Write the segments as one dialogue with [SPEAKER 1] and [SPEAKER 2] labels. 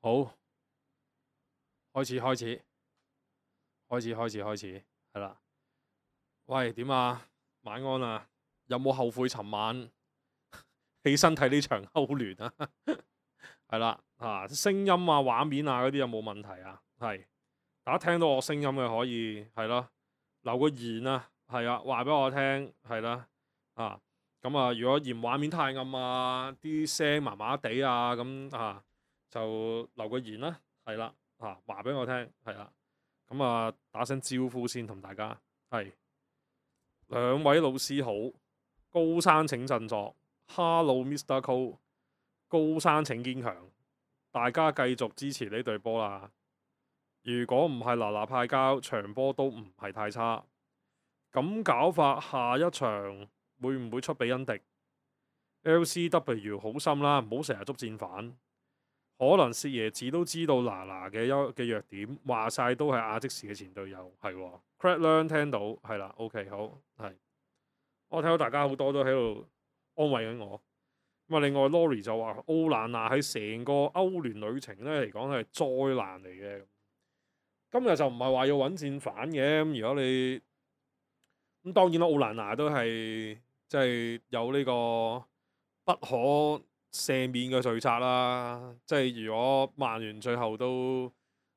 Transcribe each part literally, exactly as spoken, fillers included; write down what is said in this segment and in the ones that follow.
[SPEAKER 1] 好，開始開始開始開始開始，係啦。喂，點啊？晚安啊！有冇後悔尋晚起身睇呢場歐聯啊？係啦，啊，聲音啊、畫面啊嗰啲有冇問題啊？係，大家聽到我聲音嘅可以係咯，留個言啊，係啊，話俾我聽係啦，啊，咁啊，如果嫌畫面太暗啊，啲聲麻麻地啊，咁啊就留個言啦，係啦，啊，話俾我聽，係啦，咁啊打聲招呼先同大家，係兩位老師好，高山請振作 ，Hello Mister Cole，高山請堅強，大家繼續支持呢隊波啦。如果唔係嗱嗱派交，場波都唔係太差。咁搞法，下一場會唔會出比恩迪 ？L C W 好心啦，唔好成日捉戰犯。可能薛爺子都知道嗱嗱嘅優嘅弱點，話晒都係亞積士嘅前隊友，係喎。Craig Learn 聽到係啦 ，OK 好係。我睇到大家好多都喺度安慰緊我。咁啊，另外 Lori 就話奧蘭娜喺成個歐聯旅程咧嚟講係災難嚟嘅。今日就唔係話要揾戰犯嘅，咁如果你咁當然啦，奧蘭娜都係即係有呢個不可赦免嘅罪責啦。即係如果曼聯最後都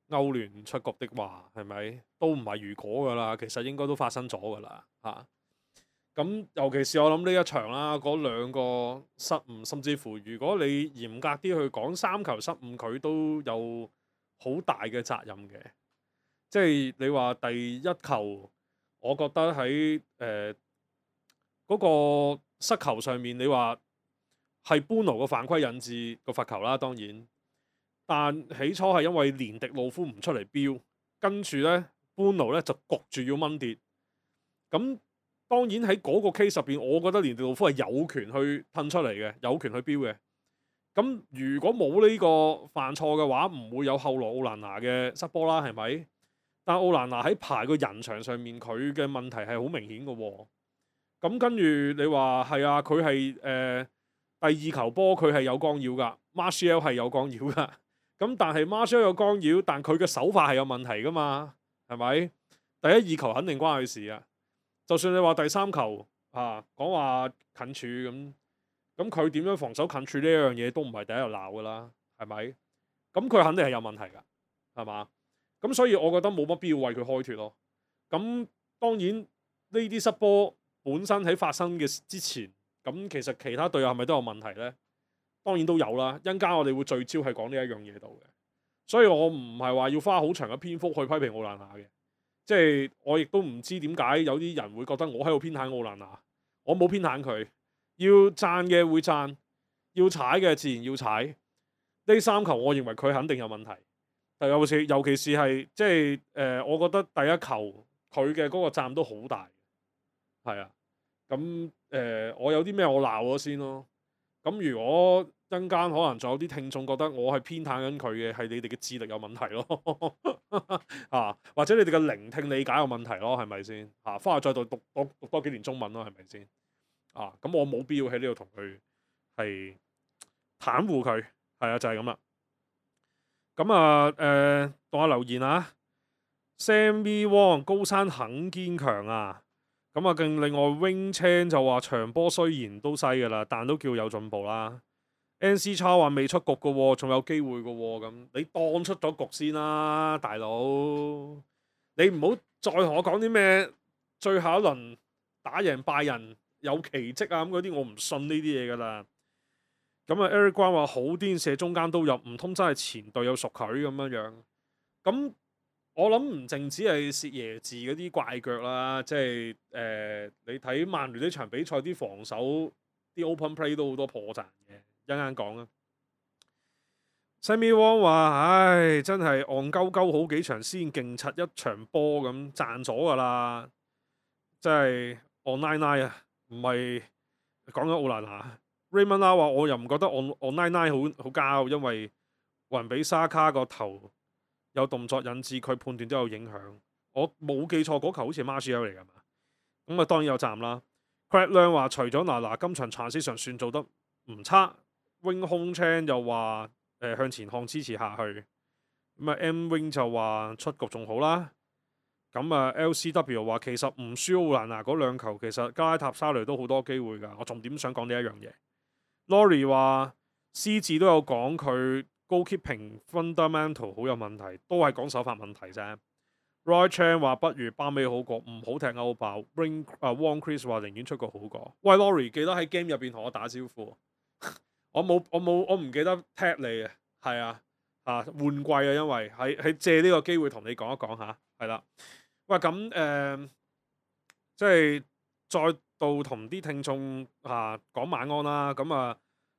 [SPEAKER 1] 歐聯出局的話，係咪都唔係如果噶啦？其實應該都發生咗噶啦嚇。咁尤其是我諗呢一場啦，嗰兩個失誤，甚至乎如果你嚴格啲去講三球失誤，佢都有好大嘅責任嘅。即係你話第一球，我覺得喺誒嗰個失球上面，你話係般奴個犯規引致個罰球啦，當然。但起初係因為連迪路夫唔出嚟標，跟住呢，般奴呢就焗住要掹跌。咁當然喺嗰個 case 入邊，我覺得連迪路夫係有權去褪出嚟嘅，有權去標嘅。咁如果冇呢個犯錯嘅話，唔會有後來奧蘭拿嘅失波啦，係咪？但奧蘭拿喺排個人牆上面，佢嘅問題係好明顯嘅喎。咁跟住你話係啊，佢係誒第二球波佢係有干擾㗎 Martial 係有干擾㗎。咁但係 Martial 有干擾，但佢嘅手法係有問題㗎嘛，係咪？第一二球肯定關佢事啊。就算你話第三球啊講話近處咁，咁佢點樣防守近處呢一樣嘢都唔係第一日鬧㗎啦，係咪？咁佢肯定係有問題㗎，係嘛？咁所以我覺得冇乜必要為佢開脫咯。咁當然呢啲失波本身喺發生嘅之前，咁其實其他隊友係咪都有問題呢？當然都有啦。一陣間我哋會聚焦係講呢一樣嘢度嘅，所以我唔係話要花好長嘅篇幅去批評奧蘭娜嘅。即係我亦都唔知點解有啲人會覺得我喺度偏袒奧蘭娜，我冇偏袒佢。要讚嘅會讚，要踩嘅自然要踩。呢三球我認為佢肯定有問題。尤其是尤其是係即係誒、呃，我覺得第一球佢嘅嗰個站都好大，係啊。咁誒、呃，我有啲咩我鬧咗先咯。咁如果一陣間可能仲有啲聽眾覺得我係偏袒緊佢嘅，係你哋嘅智力有問題咯，啊，或者你哋嘅聆聽理解有問題咯，係咪先？啊，翻去再讀讀多讀多幾年中文咯，係咪先？啊，咁我冇必要喺呢度同佢係袒護佢，係啊，就係咁啦。咁啊，誒讀下留言啊 ，Sammy Wong 高山很堅強啊。咁啊，更另外 Wing Chan 就話場波雖然都細噶啦，但都叫有進步啦。N C 叉話未出局噶喎，仲有機會噶喎。咁你當出咗局先啦，大佬。你唔好再同我講啲咩最後一輪打贏拜仁有奇蹟啊咁嗰啲，我唔信呢啲嘢噶啦。咁啊 Eric 關話好癲，射中間都入，唔通真係前隊友熟佢咁樣樣？咁我諗唔淨止係薛爺字嗰啲怪腳啦，即係誒、呃、你睇曼聯呢場比賽啲防守啲 open play 都好多破綻嘅，一陣間講啦。Sammy Wong 話：唉，真係戇鳩鳩好幾場先勁柒一場波咁賺咗㗎啦，真係 online 啊，唔係講緊奧蘭娜。Raymond 啦話：我又唔覺得 on online 好好交，因為雲比沙卡個頭有動作引致佢判斷都有影響。我冇記錯嗰球好似係 Martial 嚟㗎嘛，咁啊當然有站啦。Craig Learn 話：除咗嗱嗱今場 transition 算做得唔差。Wing Hong Chan 又話呃、向前看支持下去。咁啊 M Wing 就話出局仲好啦。咁啊 L C W 話其實唔輸奧蘭拿嗰兩球，其實加拉塔沙雷都好多機會㗎。我重點想講呢一樣嘢。Lori 話獅子都有講佢 goalkeeping fundamental 好有問題，都係講手法問題啫。Roy Chan 話不如巴美好過，唔好踢歐爆。Ring 啊 Wong Chris 話寧願出局好過。喂 Lori 記得喺 game 入邊同我打招呼。我冇我冇我唔記得踢你啊，係啊啊換季啊，因為喺喺借呢個機會同你講一講下，係啦。喂咁誒、呃，即係再度同啲聽眾啊講晚安啦。咁啊，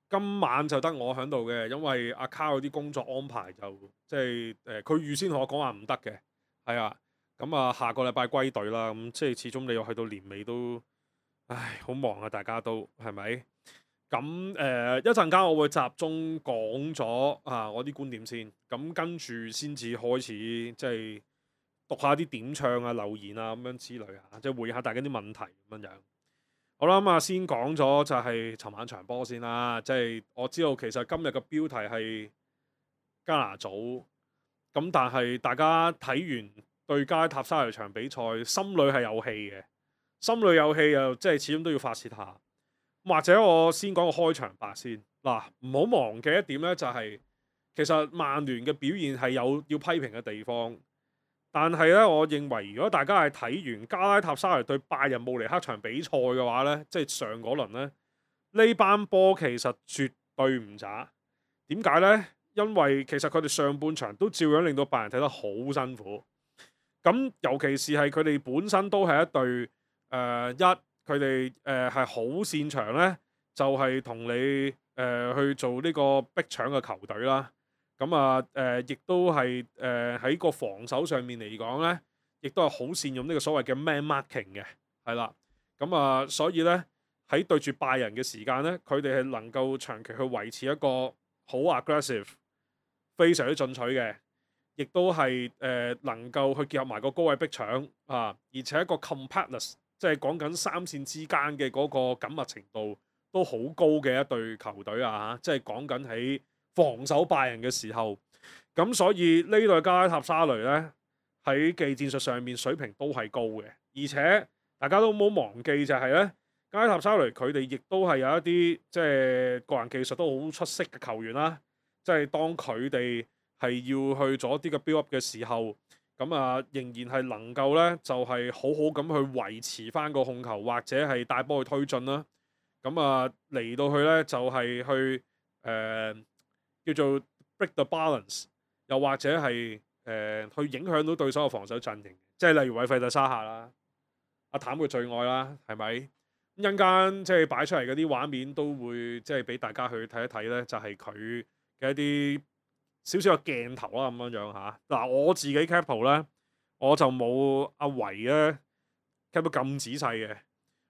[SPEAKER 1] 今晚就得我喺度嘅，因為阿卡有啲工作安排就即係誒，佢預先同我講話唔得嘅，係啊。咁啊，下個禮拜歸隊啦。咁即係始終你又去到年尾都，唉，好忙啊，大家都係咪？咁誒一陣間我會集中講咗啊我啲觀點先，咁跟住先至開始即係讀下啲點唱啊留言啊咁樣之類啊，即係回應下大家啲問題咁樣樣。好啦，咁啊先講咗就係尋晚場波先啦，即係我知道其實今日嘅標題係加拿組，咁但係大家睇完對加拉塔沙雷場比賽，心裏係有氣嘅，心裏有氣又即係始終都要發泄下。或者我先講個開場白先嗱，唔好忘記一點咧，就係其實曼聯嘅表現係有要批評嘅地方，但係咧，我認為如果大家係睇完加拉塔沙雷對拜仁慕尼黑場比賽嘅話咧，即係上嗰輪咧，呢班波其實絕對唔渣。點解咧？因為其實佢哋上半場都照樣令到拜仁睇得好辛苦。咁尤其是係佢哋本身都係一隊誒、呃、一。佢哋誒係好擅長咧，就係、是、同你誒、呃、去做呢個逼搶嘅球隊啦。咁啊誒，亦都係誒喺個防守上面嚟講咧，亦都係好善用呢個所謂嘅 man marking 嘅，係啦。咁啊，所以咧喺對住拜仁嘅時間咧，佢哋係能夠長期去維持一個好 aggressive、非常之進取嘅，亦都係誒、呃、能夠去結合埋個高位逼搶啊，而且一個 compactness。即係講緊三線之間嘅嗰個緊密程度都好高嘅一隊球隊啊！即係講緊喺防守拜仁嘅時候，咁所以呢隊加拉塔沙雷呢，喺技戰術上面水平都係高嘅，而且大家都唔好忘記就係呢，加拉塔沙雷佢哋亦都係有一啲即係個人技術都好出色嘅球員啦。即係當佢哋係要去做一啲嘅 build up 嘅時候。咁啊，仍然係能夠咧，就係、是、好好咁去維持翻個控球，或者係帶波去推進啦。咁啊，嚟到去咧就係、是、去誒、呃、叫做 break the balance，又或者係誒、呃、去影響到對手嘅防守陣型。即係例如韋費特沙夏啦，阿譚嘅最愛啦，係咪？一陣間即係擺出嚟嗰啲畫面都會即係俾大家去睇一睇咧，就係佢嘅一啲。少少嘅鏡頭啦，咁樣樣嚇。嗱，我自己 cap 圖咧，我就冇阿維咧 cap 到咁仔細嘅，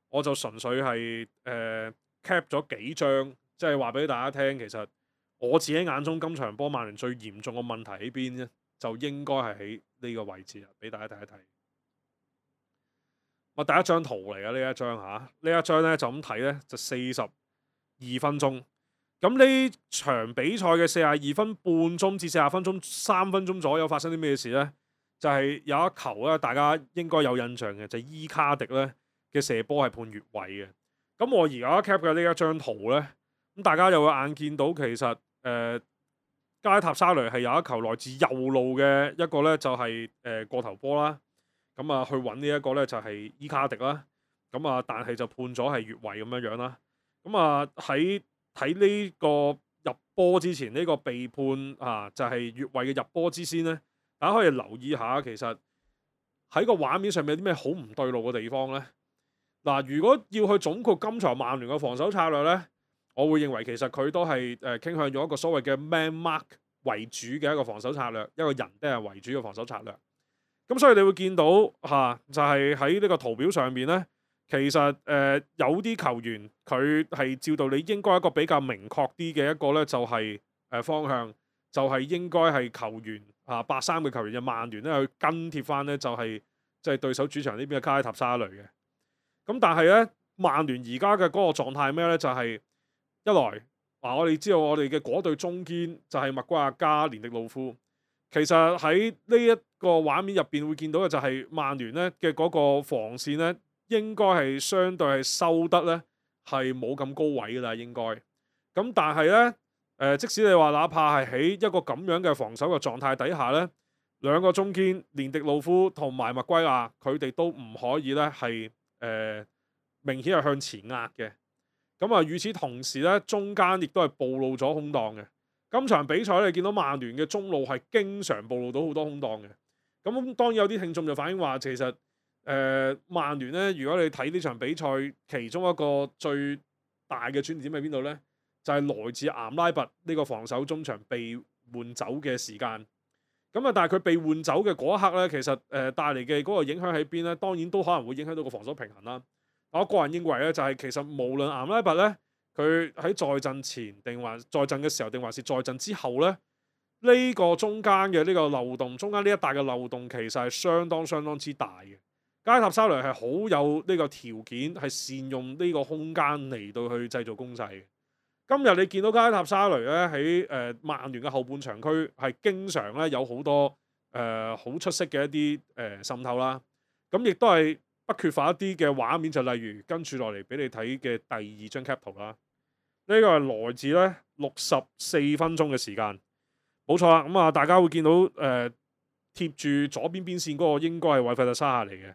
[SPEAKER 1] 我就純粹係誒 cap 咗幾張，即係話俾大家聽。其實我自己眼中今場波曼聯最嚴重嘅問題喺邊咧，就應該係喺呢個位置啊，俾大家睇一睇。我第一張圖嚟嘅呢一張嚇，呢一張咧就咁睇咧，就四十二分鐘。咁呢場比賽嘅四十二分半鐘至四十分鐘三分鐘左右發生啲咩事呢？就係、是、有一球咧，大家應該有印象嘅，就係、是、伊卡迪咧嘅射波係判越位嘅。咁我而家 cap 嘅呢一張圖呢，咁大家又會眼見到其實誒、呃、加拉塔沙雷係有一球來自右路嘅一個呢，就係、是、誒、呃、過頭波啦。咁啊去揾呢一個呢，就係、是、伊卡迪啦。咁啊但係就判咗係越位咁樣樣啦。咁啊喺睇呢個入波之前，呢、這個被判啊就係、是、越位嘅入波之先咧，大家可以留意下，其實喺個畫面上面有啲咩好唔對路嘅地方呢？嗱、啊，如果要去總括今場曼聯嘅防守策略呢，我會認為其實佢都係誒、呃、傾向用一個所謂嘅 man mark 為主嘅一個防守策略，一個人都係為主嘅防守策略。咁所以你會見到嚇、啊，就係喺呢個圖表上面呢。其實誒、呃、有啲球員佢係照道理應該一個比較明確啲嘅一個咧，就係、是、誒、呃、方向，就係、是、應該係球員啊八三嘅球員嘅曼聯咧去跟貼翻咧，就係即係對手主場呢邊嘅加拉塔沙雷嘅。咁但係咧，曼聯而家嘅嗰個狀態咩咧？就係、是、一來嗱，我哋知道我哋嘅嗰對中堅就係麥瓜亞加連迪路夫。其實喺呢一個畫面入邊會見到嘅就係曼聯咧嘅嗰個防線咧，應該係相對係收得咧係冇咁高位㗎啦，應該。咁但係咧誒，即使你話哪怕係喺一個咁樣嘅防守嘅狀態底下咧，兩個中堅連迪路夫同埋麥圭亞，佢哋都唔可以咧係誒明顯係向前壓嘅。咁啊，與此同時咧，中間亦都係暴露咗空檔嘅。今場比賽你見到曼聯嘅中路係經常暴露到好多空檔嘅。咁當然有啲聽眾就反映話，其實誒、呃、曼聯咧，如果你睇呢場比賽，其中一個最大嘅轉折點喺邊度咧？就係、是、來自岩拉拔呢個防守中場被換走嘅時間。咁啊，但係佢被換走嘅嗰一刻咧，其實誒、呃、帶嚟嘅嗰個影響喺邊咧？當然都可能會影響到個防守平衡啦。我個人認為咧，就係、是、其實無論岩拉拔咧，佢喺在陣前定還在陣嘅時候，定還是在陣之後咧，呢、這個中間嘅呢個漏洞，中間呢一帶嘅漏洞其實係相當相當之大嘅。加塔沙雷係好有呢個條件，係善用呢個空間嚟到去製造攻勢嘅。今日你見到加塔沙雷咧喺誒曼聯嘅後半場區係經常咧有好多誒好、呃、出色嘅一啲誒、呃、滲透啦，咁亦都係不缺乏一啲嘅畫面，就例如跟住落嚟俾你睇嘅第二張 cap 圖啦。呢、這個係來自咧六十四分鐘嘅時間，冇錯啦。咁、嗯、啊，大家會見到誒、呃、貼住左邊邊線嗰個應該係韋費特沙夏嚟嘅。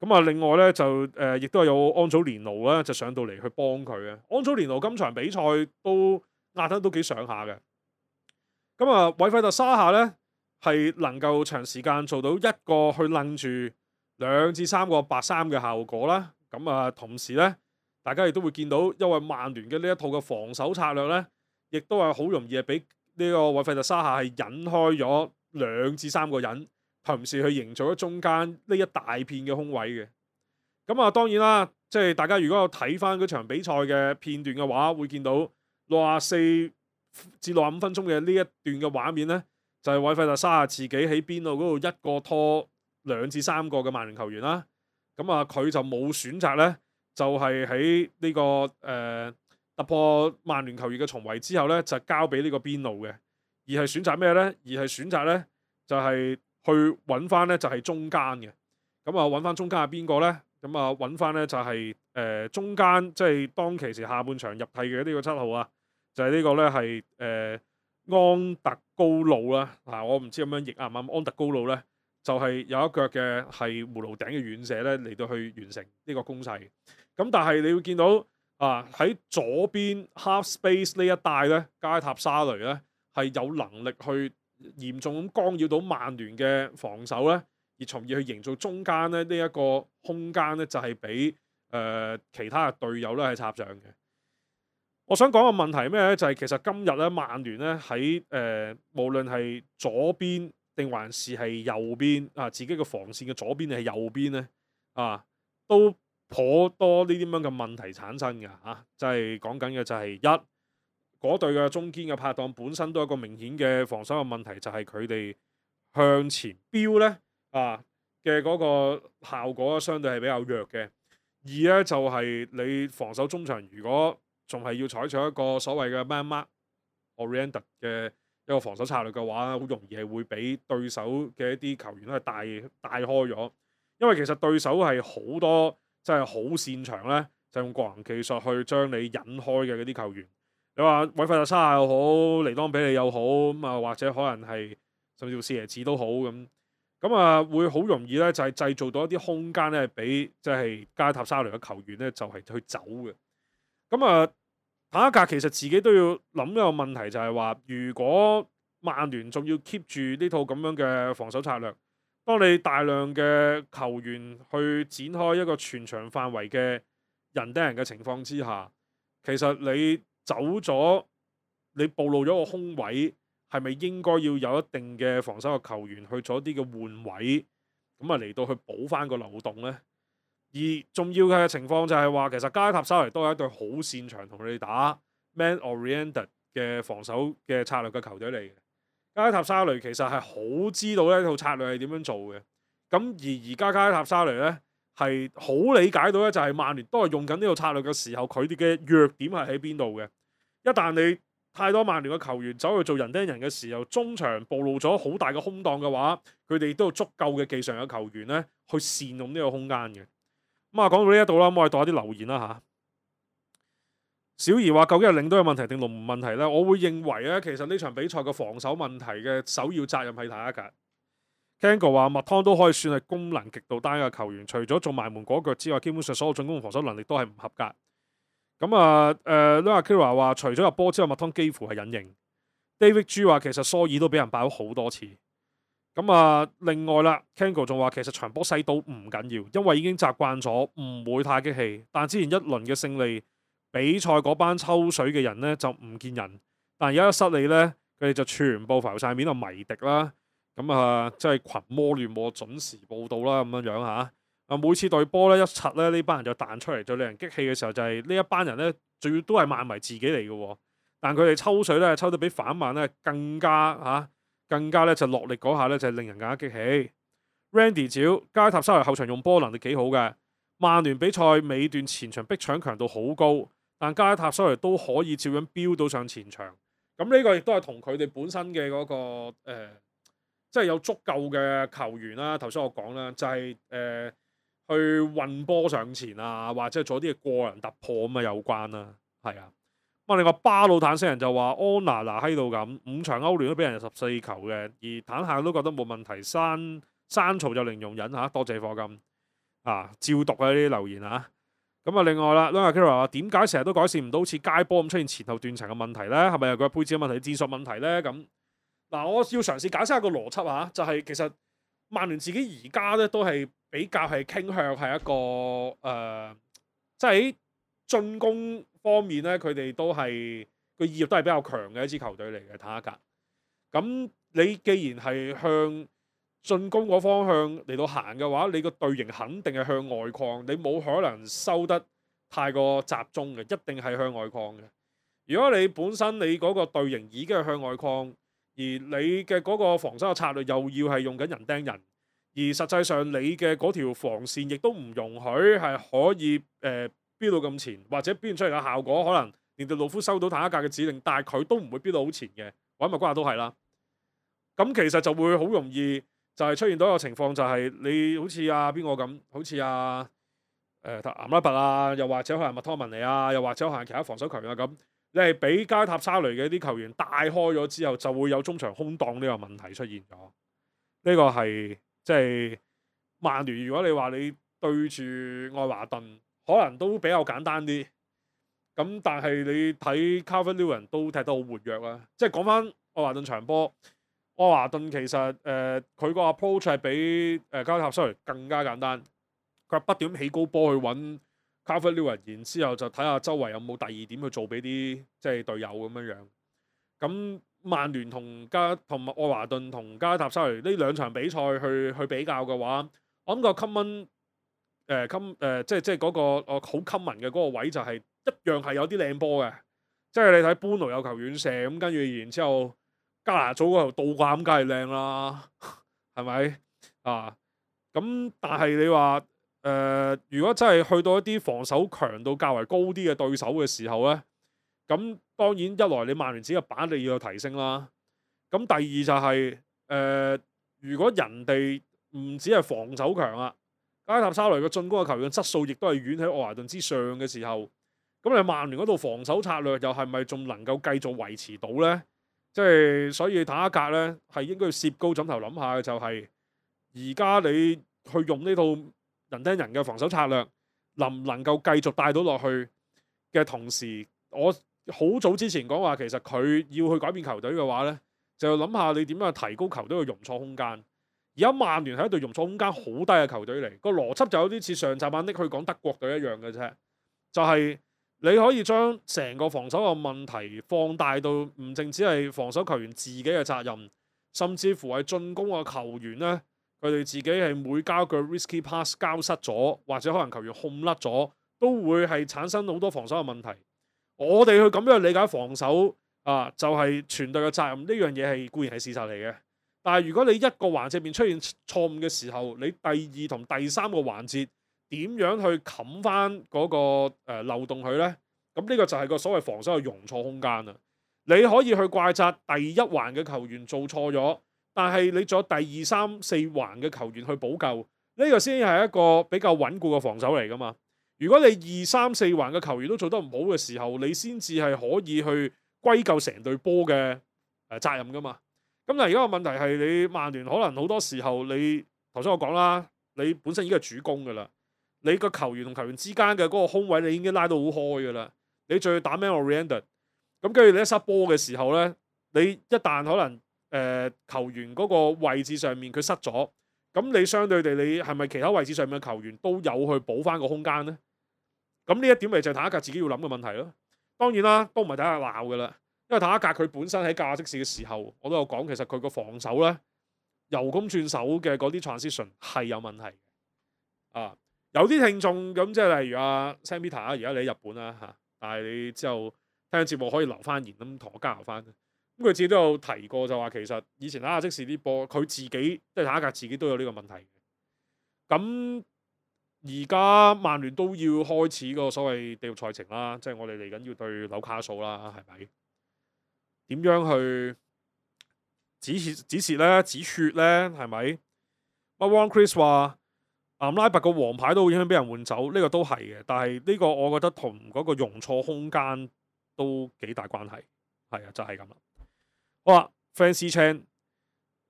[SPEAKER 1] 咁啊，另外咧就誒、呃，亦都有安祖連奴咧，就上到嚟去幫佢嘅。安祖連奴今場比賽都壓得都幾上下嘅。咁啊，韋費特沙夏咧係能夠長時間做到一個去楞住兩至三個白衫嘅效果啦。咁啊，同時咧，大家亦都會見到，因為曼聯嘅呢一套嘅防守策略咧，亦都係好容易係俾呢個韋費特沙夏係引開咗兩至三個人。同時去營造咗中間呢一大片嘅空位嘅。咁啊，當然啦，即係大家如果有睇翻嗰場比賽嘅片段嘅話，會見到六十四至六十五分鐘嘅呢一段嘅畫面咧，就係韋費特沙夏自己喺邊度嗰度一個拖兩至三個嘅曼聯球員啦。咁啊，佢就冇選擇咧，就係喺呢個誒、呃、突破曼聯球員嘅重圍之後咧，就交俾呢個邊路嘅，而係選擇咩咧？而係選擇咧就係、是。去揾翻咧就係中間嘅，咁啊揾翻中間係邊個咧？咁啊揾翻咧就係、是、誒、呃、中間，即係當其時下半場入替嘅呢個七號啊，就係、是、呢個咧係誒安特高路啦。嗱，我唔知咁樣譯啱唔啱？安特高路咧就係、是、有一腳嘅係葫蘆頂嘅遠射咧嚟到去完成呢個攻勢。咁但係你會見到啊喺左邊 half space 呢一帶咧，加塔沙雷咧係有能力去嚴重咁干擾到曼聯嘅防守咧，而從而去營造中間咧呢一個空間咧，就係俾誒其他嘅隊友咧係插上嘅。我想講個問題係咩咧？就係、是、其實今日咧曼聯咧喺誒無論係左邊定還是係右邊啊，自己嘅防線嘅左邊定係右邊咧啊，都頗多呢啲咁樣嘅問題產生嘅嚇。就係講緊嘅就係一。嗰隊嘅中堅嘅拍檔本身都有一個明顯嘅防守嘅問題，就係佢哋向前飆咧啊嘅嗰個效果相對係比較弱嘅。二咧就係、是、你防守中場如果仲係要採取一個所謂嘅 man mark oriented 嘅一個防守策略嘅話，好容易係會俾對手嘅一啲球員咧帶帶開咗。因為其實對手係好多即係好擅長咧，就用個人技術去將你引開嘅嗰啲球員。你話韋費特沙夏又好，尼當比利又好，咁啊或者可能係甚至乎四爺子都好咁，咁啊會好容易咧就係製造到一啲空間咧，俾即係加塔沙雷嘅球員咧就係去走嘅。咁啊，坦克格其實自己都要諗一個問題，就係話如果曼聯仲要 keep 住呢套咁樣嘅防守策略，當你大量嘅球員去展開一個全場範圍嘅人盯人嘅情況之下，其實你走咗，你暴露咗個空位，係咪應該要有一定嘅防守嘅球員去做一啲嘅換位，咁啊嚟到去補翻個漏洞呢？而重要嘅情況就係話，其實加塔沙雷都係一隊好擅長同你哋打 man-oriented 嘅防守嘅策略嘅球隊嚟嘅。加塔沙雷其實係好知道呢套策略係點樣做嘅。咁而而家加塔沙雷呢，係好理解到咧，就係曼聯都係用緊呢套策略嘅時候，佢哋嘅弱點係喺邊度嘅。
[SPEAKER 2] 一旦你太多曼聯嘅球員走去做人釘人嘅時候，中場暴露咗好大嘅空檔嘅話，佢哋都有足夠嘅技術嘅球員咧，去善用呢個空間嘅。咁啊，講到呢一度啦，咁我哋讀下啲留言啦嚇。小儀話：究竟係領隊有問題定龍門問題咧？我會認為咧，其實呢場比賽嘅防守問題嘅首要責任係坦克格。Kango 話麥湯都可以算係功能極度單一嘅球員，除咗做埋門嗰腳之外，基本上所有進攻防守能力都係唔合格。咁啊，誒 Luna Kira 話除咗入波之外，麥湯幾乎係隱形。David G 話其實蘇爾都俾人爆咗好多次。咁啊，另外啦 Kango 仲話其實場波細到唔緊要，因為已經習慣咗，唔會太激氣。但之前一輪嘅勝利比賽嗰班抽水嘅人咧就唔見人，但而家一失利咧，佢哋就全部浮晒面啊迷敵啦。咁啊，即係群魔亂舞，準時報到啦，咁樣樣嚇。啊，每次對波咧一拆咧，呢班人就彈出嚟，最令人激氣嘅時候就係呢一班人咧，仲要都係曼迷自己嚟嘅喎。但佢哋抽水咧，抽得比反曼咧更加嚇、啊，更加咧就落力嗰下咧就係令人更加激氣。Randy 照加塔沙雷後場用波能力幾好嘅，曼聯比賽尾段前場逼搶強度好高，但加塔沙雷都可以照樣飆到上前場。咁呢個亦都係同佢哋本身嘅嗰、嗰個、呃即係有足夠嘅球員啦，頭先我講啦，就係、是、誒、呃、去運波上前啊，或者做啲嘅個人突破咁啊有關啦，係啊。咁啊，另外巴魯坦星人就話安娜拿喺度咁，五場歐聯都俾人十四球嘅，而坦克都覺得冇問題，山山曹就零容忍嚇，多謝課金啊，照讀啊呢啲留言啊。咁啊，另外啦 Luna Kira 話點解成日都改善唔到好似街波咁出現前後斷層嘅問題咧？係咪又佢配置嘅問題、戰術問題咧？咁？嗱，我要嘗試解釋下個邏輯嚇，就係、是、其實曼聯自己而家咧都係比較係傾向係一個誒，即係喺進攻方面咧，佢哋都係個意欲都係比較強嘅一支球隊嚟嘅坦克格。咁你既然係向進攻嗰方向嚟到行嘅話，你個隊形肯定係向外擴，你冇可能收得太過集中嘅，一定係向外擴嘅。如果你本身你嗰個隊形已經係向外擴，而你嘅嗰個防守嘅策略又要係用緊人釘人，而實際上你嘅嗰條防線亦都唔容許係可以誒飆到咁前，或者飆出嚟嘅效果可能連到魯夫收到坦克格嘅指令，但係佢都唔會飆到好前嘅，或者麥瓜都係啦。咁其實就會好容易就係出現到一個情況，就係你好似啊邊個咁，好似啊誒岩拉拔啊，又或者可能麥湯文尼啊，又或者可能其他防守球員啊咁。你係俾加塔沙雷嘅啲球員帶開咗之後，就會有中場空檔呢個問題出現咗。呢、這個係即係曼聯。如果你話你對住愛華頓，可能都比較簡單啲。咁但係你睇 Calvert-Lewin 都踢得好活躍啦。即係講翻愛華頓場波，愛華頓其實誒佢個 approach 係比誒加塔沙雷更加簡單。佢不斷起高波去揾Calvert-Lewin，然之後就睇下周圍有冇第二點去做俾啲即係隊友咁樣樣。咁曼聯同加同埋愛華頓同加塔沙雷呢兩場比賽去去比較嘅話，我諗個 common 誒 com 誒即係即係嗰個我好 common 嘅嗰個位就係一樣係有啲靚波嘅。即係你睇般奴有球遠射咁，跟住然之後加拿祖嗰頭倒掛咁，梗係靚啦，係咪啊？咁但係你話，誒、呃，如果真係去到一啲防守強度較為高啲嘅對手嘅時候咧，咁當然一來你曼聯自己嘅板你要有提升啦，咁第二就係、是、誒、呃，如果人哋唔止係防守強啊，加塔沙雷嘅進攻嘅球員質素亦都係遠喺愛華頓之上嘅時候，咁你曼聯嗰度防守策略又係咪仲能夠繼續維持到咧？即係所以坦克格咧係應該要攝高枕頭諗下嘅，就係而家你去用呢套人釘人嘅防守策略，能唔能夠繼續帶到落去嘅同時，我好早之前講話，其實佢要去改變球隊嘅話咧，就諗下你點樣提高球隊嘅容錯空間。而家曼聯係一隊容錯空間好低嘅球隊嚟，個邏輯就有啲似上集晚拎去講德國隊一樣嘅啫，就係、是、你可以將成個防守嘅問題放大到唔淨止係防守球員自己嘅責任，甚至乎係進攻嘅球員咧。佢哋自己係每交個 risky pass 交失咗，或者可能球員控甩咗，都會係產生好多防守嘅問題。我哋去咁樣理解防守啊，就係、是、全隊嘅責任。呢樣嘢係固然係事實嚟嘅，但係如果你一個環節面出現錯誤嘅時候，你第二同第三個環節點樣去冚翻嗰個、呃、漏洞佢咧？咁咁呢個就係個所謂防守嘅容錯空間啦。你可以去怪責第一環嘅球員做錯咗，但係你仲有第二三四環嘅球員去補救，呢個先係一個比較穩固嘅防守嚟噶嘛。如果你二三四環嘅球員都做得唔好嘅時候，你先至係可以去歸咎成隊波嘅誒責任噶嘛。咁但係而家個問題係你曼聯可能好多時候你頭先我講啦，你本身已經係主攻噶啦，你個球員同球員之間嘅嗰個空位你已經拉到好開噶啦，你仲要打 man oriented，咁跟住你一塞波嘅時候咧，你一旦可能誒、呃、球員嗰個位置上面佢失咗，咁你相對地你係咪其他位置上面嘅球員都有去補翻個空間咧？咁呢一點咪就係坦克格自己要諗嘅問題咯。當然啦，都唔係坦克鬧嘅啦，因為坦克格佢本身喺價即時嘅時候，我都有講，其實佢個防守咧由攻轉守嘅嗰啲 transition 係有問題啊。有啲聽眾咁即係例如阿 Sam Peter 啊，而家你喺日本啦嚇，但係你之後聽節目可以留翻言咁同我交流翻。咁佢自己都有提過就話其實以前坦克即時啲波佢自己即係坦克格自己都有呢個問題。咁而家曼聯都要開始個所謂地獄賽程啦，即係我哋嚟緊要對紐卡素啦，係咪？點樣去止血止蝕咧？止血咧？係咪？阿 Ron Chris 話南拉伯個黃牌都好影響俾人換走，呢、這個都係嘅。但係呢個我覺得同嗰個容錯空間都幾大關係。係啊，就係咁啦。好啦 Fancy Chan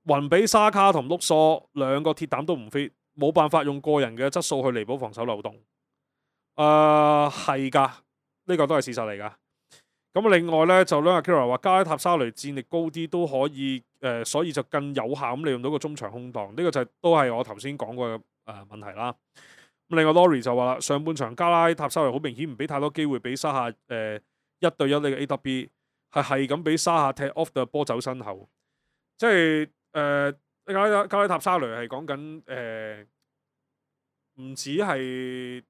[SPEAKER 2] 雲比沙卡同碌索兩個鐵膽都唔 fit。冇辦法用個人嘅質素去彌補防守漏洞。誒係㗎，呢個都係事實嚟㗎。咁另外咧就兩個 Kira 話加拉塔沙雷戰力高啲都可以誒、呃，所以就更有效咁利用到個中場空檔。呢、這個就係、都係我頭先講過嘅誒、呃、問題啦。咁另外 Lori 就話啦，上半場加拉塔沙雷好明顯唔俾太多機會俾沙下誒、呃、一對一呢個 A W B 係係咁俾沙下踢 off the 波走身後，即係誒。呃加拉加拉塔沙雷係講緊誒，唔止係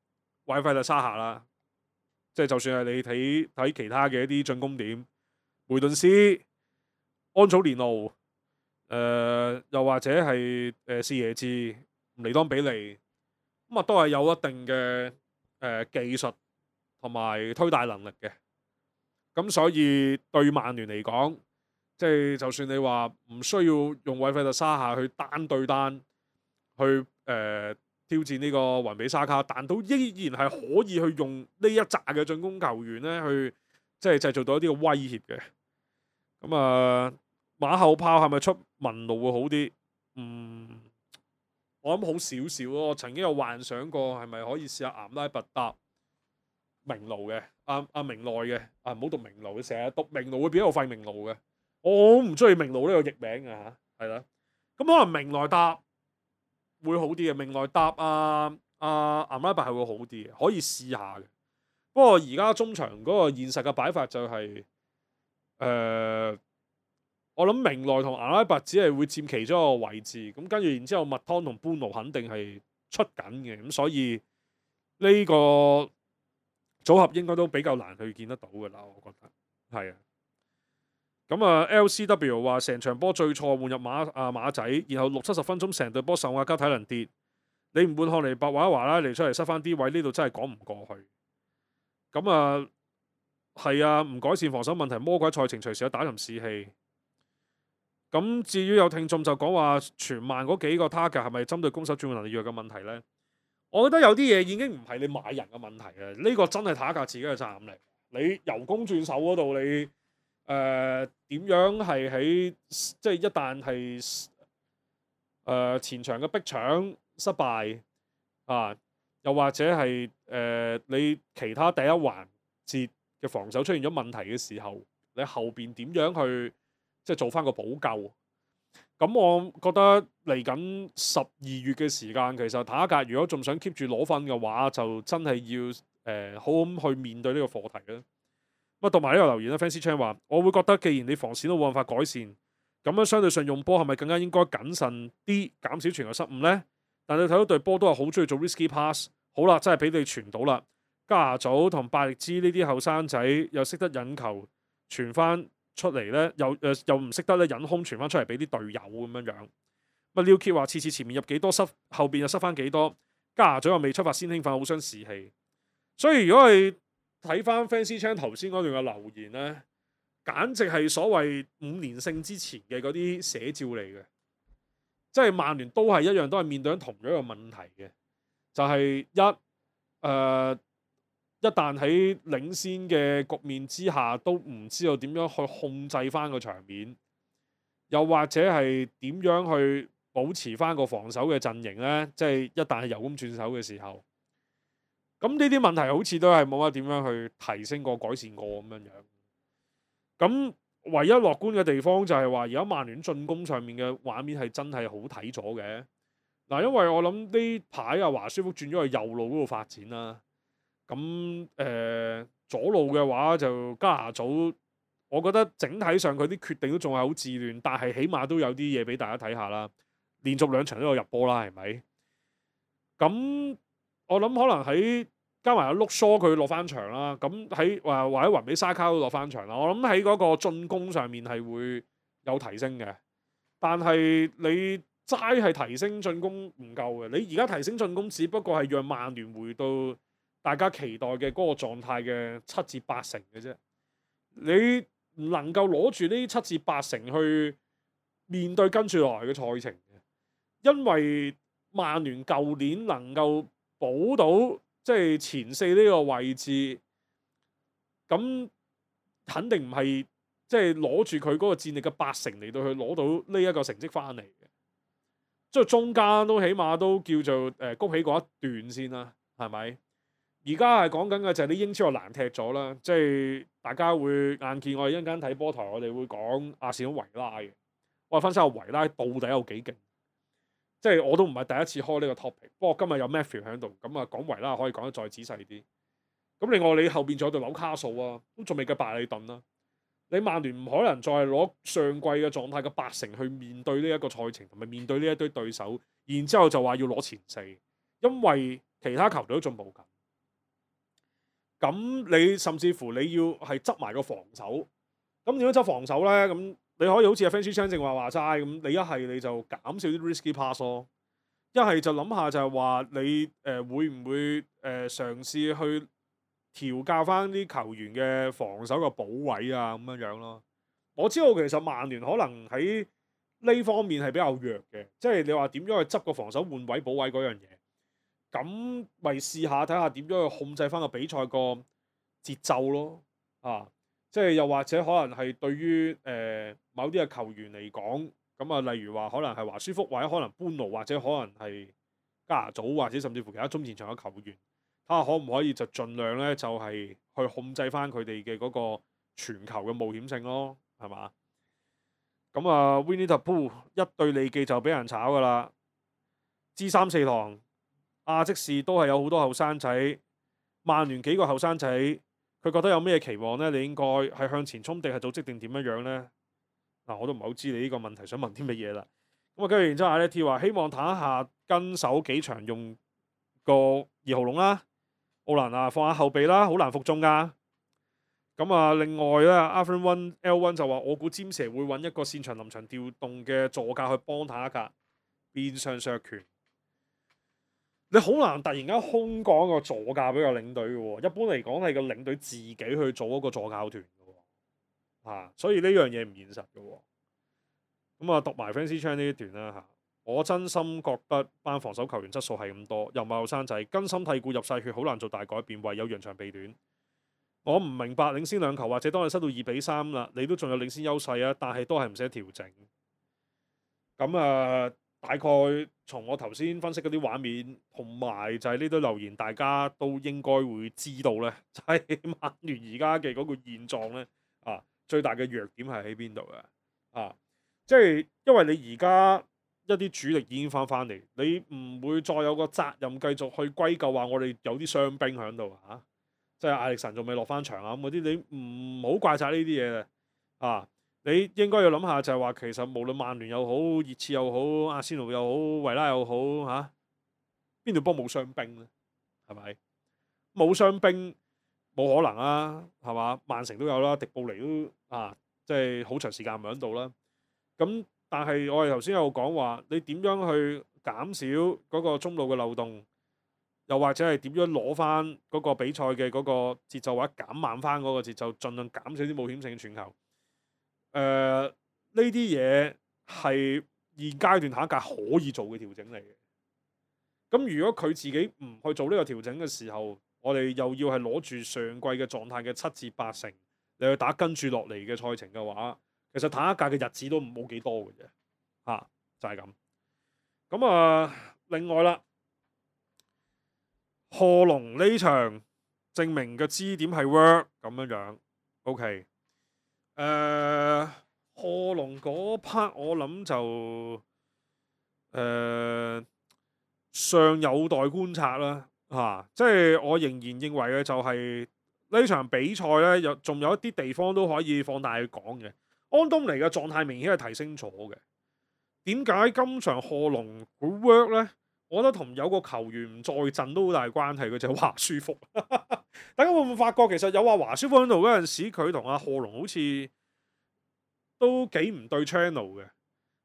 [SPEAKER 2] 韋費特沙下啦，即係就算係你睇睇其他嘅一啲進攻點，梅頓斯、安祖連奴，誒、呃、又或者係誒四爺治、尼當比利，咁啊都係有一定嘅誒、呃、技術同埋推帶能力嘅，咁所以對曼聯嚟講。即係就算你話唔需要用韋費特沙下去單對單去誒、呃、挑戰呢個雲比沙卡，但都依然係可以去用呢一紮嘅進攻球員咧去即係製造到一啲嘅威脅嘅。咁啊、呃、馬後炮係咪出文路會好啲？嗯，我諗好少少咯。我曾經有幻想過係咪可以試下岩拉拔搭明路嘅，阿阿明內嘅，啊唔好讀明路，成日讀明路會變咗個廢明路嘅。我好唔中意明路呢個譯名嘅嚇，係啦。咁可能明內搭會好啲嘅，明內搭啊啊岩拉伯係會好啲嘅，可以試下嘅。不過而家中場嗰個現實嘅擺法就係、是、誒、呃，我諗明內同岩拉伯只係會佔其中一個位置，咁跟住然之後麥湯同般奴肯定係出緊嘅，咁所以呢個組合應該都比較難去見得到嘅啦，我覺得係啊。咁啊 ，L C W 話成場波最錯換入馬啊馬仔，然後六七十分鐘成隊波受壓加體能跌，你唔換漢尼伯或者華拉尼出嚟塞翻啲位，呢度真係講唔過去。咁啊，係啊，唔改善防守問題，魔鬼賽程隨時有打沉士氣。咁至於有聽眾就講話全曼嗰幾個 target 係咪針對攻守轉換能力弱嘅問題呢？我覺得有啲嘢已經唔係你買人嘅問題啊，呢、這個真係塔格自己嘅責任嚟。你由攻轉守嗰度你。誒點、呃、樣係喺即係一旦係誒、呃、前場嘅逼搶失敗啊，又或者係誒、呃、你其他第一環節嘅防守出現咗問題嘅時候，你後邊點樣去即係做翻個補救？咁我覺得嚟緊十二月嘅時間，其實塔格如果仲想 keep 住攞分嘅話，就真係要誒、呃、好咁去面對呢個課題啦。咁啊，讀埋呢個留言啦 Fancy Chan 話：我會覺得，既然你防線都冇辦法改善，咁樣相對上用波係咪更加應該謹慎啲，減少傳球失誤呢？但你睇到隊波都係好中意做 risky pass。好啦，真係俾你傳到啦。加拿祖同拜力茲呢啲後生仔又識得引球傳翻出嚟咧，又誒、呃、又唔識得咧引空傳翻出嚟俾啲隊友咁樣樣。咁啊 Liu Kit 話：次次前面入幾多失，後邊又失翻幾多。加拿祖又未出發先興奮，好傷士氣。所以如果係睇翻 Fancy Chan 頭先嗰段嘅留言咧，簡直係所謂五連勝之前嘅嗰啲寫照嚟嘅，即係曼聯都係一樣，都係面對緊同樣嘅問題嘅，就係、一誒、呃、一旦喺領先嘅局面之下，都唔知道點樣去控制翻個場面，又或者係點樣去保持翻個防守嘅陣營咧，即係一旦係由攻轉守嘅時候。咁呢啲問題好似都係冇乜點樣去提升過、改善過咁樣樣。咁唯一樂觀嘅地方就係話，而家曼聯進攻上面嘅畫面係真係好睇咗嘅。嗱，因為我諗呢排啊華舒福轉咗去右路嗰度發展啦。咁誒、呃、左路嘅話就加拿祖，我覺得整體上佢啲決定都仲係好自亂，但係起碼都有啲嘢俾大家睇下啦。連續兩場都有入波啦，係咪？咁我諗可能喺加埋阿碌疏佢落翻場啦，咁喺或或者雲比沙卡都落翻場啦。我諗喺嗰個進攻上面係會有提升嘅，但係你齋係提升進攻唔夠嘅。你而家提升進攻，只不過係讓曼聯回到大家期待嘅嗰個狀態嘅七至八成嘅啫。你唔能夠攞住呢七至八成去面對跟住落嚟嘅賽程嘅，因為曼聯舊年能夠保到即係前四呢個位置，咁肯定唔係即係攞住佢嗰個戰力嘅八成嚟到去攞到呢一個成績翻嚟嘅，即係中間都起碼都叫做誒谷起嗰一段先啦，係咪？而家係講緊嘅就係啲英超又難踢咗啦，即係大家會眼見我哋一陣間睇波台，我哋會講阿士東維拉嘅，我哋分析下維拉到底有幾勁。即係我都唔係第一次開呢個 topic，不過今日有 Matthew 喺度，咁啊講維拉可以講得再仔細啲。咁另外你後邊仲有對紐卡素啊，都仲未計白里頓啦。你曼聯唔可能再攞上季嘅狀態嘅八成去面對呢一個賽程，同埋面對呢一堆對手，然之後就話要攞前四，因為其他球隊都進步緊。咁你甚至乎你要係執埋個防守，咁點樣執防守咧？咁你可以好似阿 Fancy Chan 正話話齋咁，你一係你就減少啲 risky pass 咯，一係就諗下就係話你誒、呃、會唔會誒、呃、嘗試去調教翻啲球員嘅防守嘅補位啊咁樣樣咯。我知道其實曼聯可能喺呢方面係比較弱嘅，即係你話點樣去執個防守換位補位嗰樣嘢，咁咪試下睇下點樣去控制翻個比賽個節奏咯，啊！即係又或者可能係對於誒、呃、某啲嘅球員嚟講，咁啊例如話可能係華舒福，或者可能班奴，或者可能係加拿祖，或者甚至乎其他中前場嘅球員，睇下可唔可以就盡量咧就係、是、去控制翻佢哋嘅嗰個傳球嘅冒險性咯，係嘛？咁啊 Winnie the Pooh 一對利記就俾人炒噶啦，知三四堂亞積士都係有好多後生仔，曼聯幾個後生仔。佢覺得有咩期望呢？你應該係向前衝定係組織定點樣樣呢？嗱、啊，我都唔係好知你呢個問題想問啲乜嘢啦。咁啊，跟住然之後阿 T 話希望睇下跟手幾場用個二號龍啦，奧蘭啊放下後備啦，好難服眾噶。咁啊，另外咧 Alvin One L One 就話我估詹蛇會揾一個擅長臨場調動嘅助教去幫他一格，變相削權。你好難突然間空降個助教俾個領隊嘅喎，一般嚟講係個領隊自己去做一個助教團嘅喎，啊，所以呢樣嘢唔現實嘅喎。咁啊，讀埋 Fancy Chan 呢一段啦嚇，我真心覺得班防守球員質素係咁多，又唔係後生仔，根深蒂固入晒血，好難做大改變，唯有揚長避短。我唔明白領先兩球，或者當你失到二比三啦，你都仲有領先優勢啊，但係都係唔使調整。咁啊。大概從我頭先分析嗰啲畫面，同埋就係呢堆留言，大家都應該會知道咧，就係曼聯而家嘅嗰個現狀咧，啊，最大嘅弱點係喺邊度嘅？啊，即係因為你而家一啲主力已經翻翻嚟，你唔會再有個責任繼續去歸咎話我哋有啲傷兵喺度啊，即係艾力神仲未落翻場啊咁嗰啲，你唔好怪責呢啲嘢嘅，啊。你應該要諗下就係話，其實無論曼聯又好、熱刺又好、阿仙奴又好、維拉又好嚇，邊度幫冇傷兵咧？係咪冇傷兵冇可能啊？係嘛？曼城都有啦，迪布尼都啊，即係好長時間唔喺度啦。咁但係我哋頭先有講話，你點樣去減少嗰個中路嘅漏洞？又或者係點樣攞翻嗰個比賽嘅嗰個節奏，或者減慢翻嗰個節奏，盡量減少啲冒險性傳球。誒、呃，呢啲嘢係現階段下一屆可以做嘅調整嚟嘅。咁如果佢自己唔去做呢個調整嘅時候，我哋又要係攞住上季嘅狀態嘅七至八成，你去打跟住落嚟嘅賽程嘅話，其實下一屆嘅日子都冇幾多嘅啫，嚇、啊、就係、是、咁。咁啊，另外啦，賀龍呢場證明嘅支點係 work 咁樣樣 ，OK。誒，賀龍嗰 part 我諗就誒、呃、尚有待觀察啦，嚇、啊，即係我仍然認為嘅就係呢場比賽咧，有仲有一啲地方都可以放大去講嘅。安東尼嘅狀態明顯係提升咗嘅。點解今場賀龍會 work 咧？我覺得同有個球員唔在陣都好大關係，佢就係華舒福。大家會唔會發覺其實有話華舒福喺度嗰陣時，佢同阿賀龍好似都幾唔對 channel 嘅，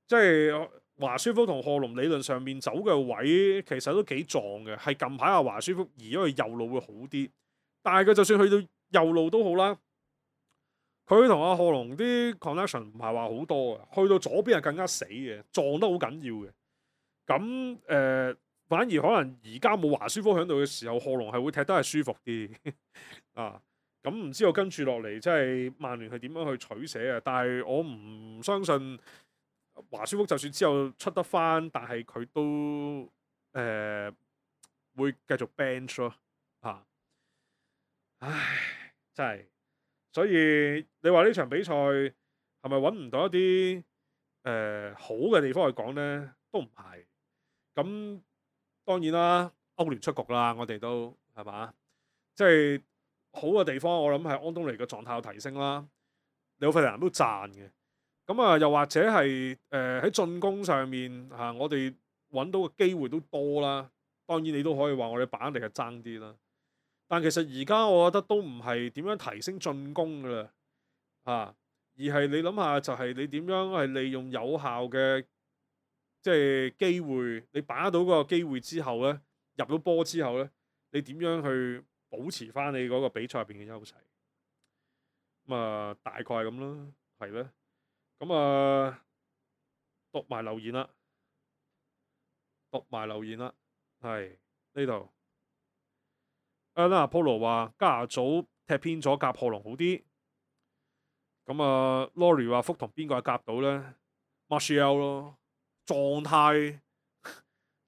[SPEAKER 2] 即係華舒福同賀龍理論上面走嘅位其實都幾撞嘅，係近排阿華舒福移咗去右路會好啲，但係佢就算去到右路都好啦。佢同阿賀龍啲 connection 唔係話好多嘅，去到左邊係更加死嘅，撞得好緊要嘅。咁誒、呃，反而可能而家冇華舒福喺度嘅時候，賀龍係會踢得係舒服啲啊。咁唔知道跟住落嚟，即係曼聯係點樣去取捨啊？但係我唔相信華舒福就算之後出得翻，但係佢都誒、呃、會繼續 bench 咯嚇。唉，真係。所以你話呢場比賽係咪揾唔到一啲誒、呃、好嘅地方去講呢？都唔係。咁當然啦，歐聯出局啦，我哋都係嘛？即係好嘅地方，我諗係安東尼嘅狀態有提升啦。李奧費蘭都讚嘅。咁啊，又或者係誒喺進攻上面嚇、啊，我哋揾到嘅機會都多啦。當然你都可以話我哋把握力係爭啲啦。但其實而家我覺得都唔係點樣提升進攻噶啦，啊，而係你諗下就係你點樣係利用有效嘅即係機會，你把握到嗰個機會之後咧，入到波之後咧，你點樣去保持翻你嗰個比賽入邊嘅優勢？咁啊，大概係咁啦，係咧。咁啊，讀埋留言啦，讀埋留言啦，係呢度。阿 Polo 話加拿祖踢偏咗夾賀龍好啲，咁啊 Lori 話福同邊個係夾到咧 Martial 咯，狀態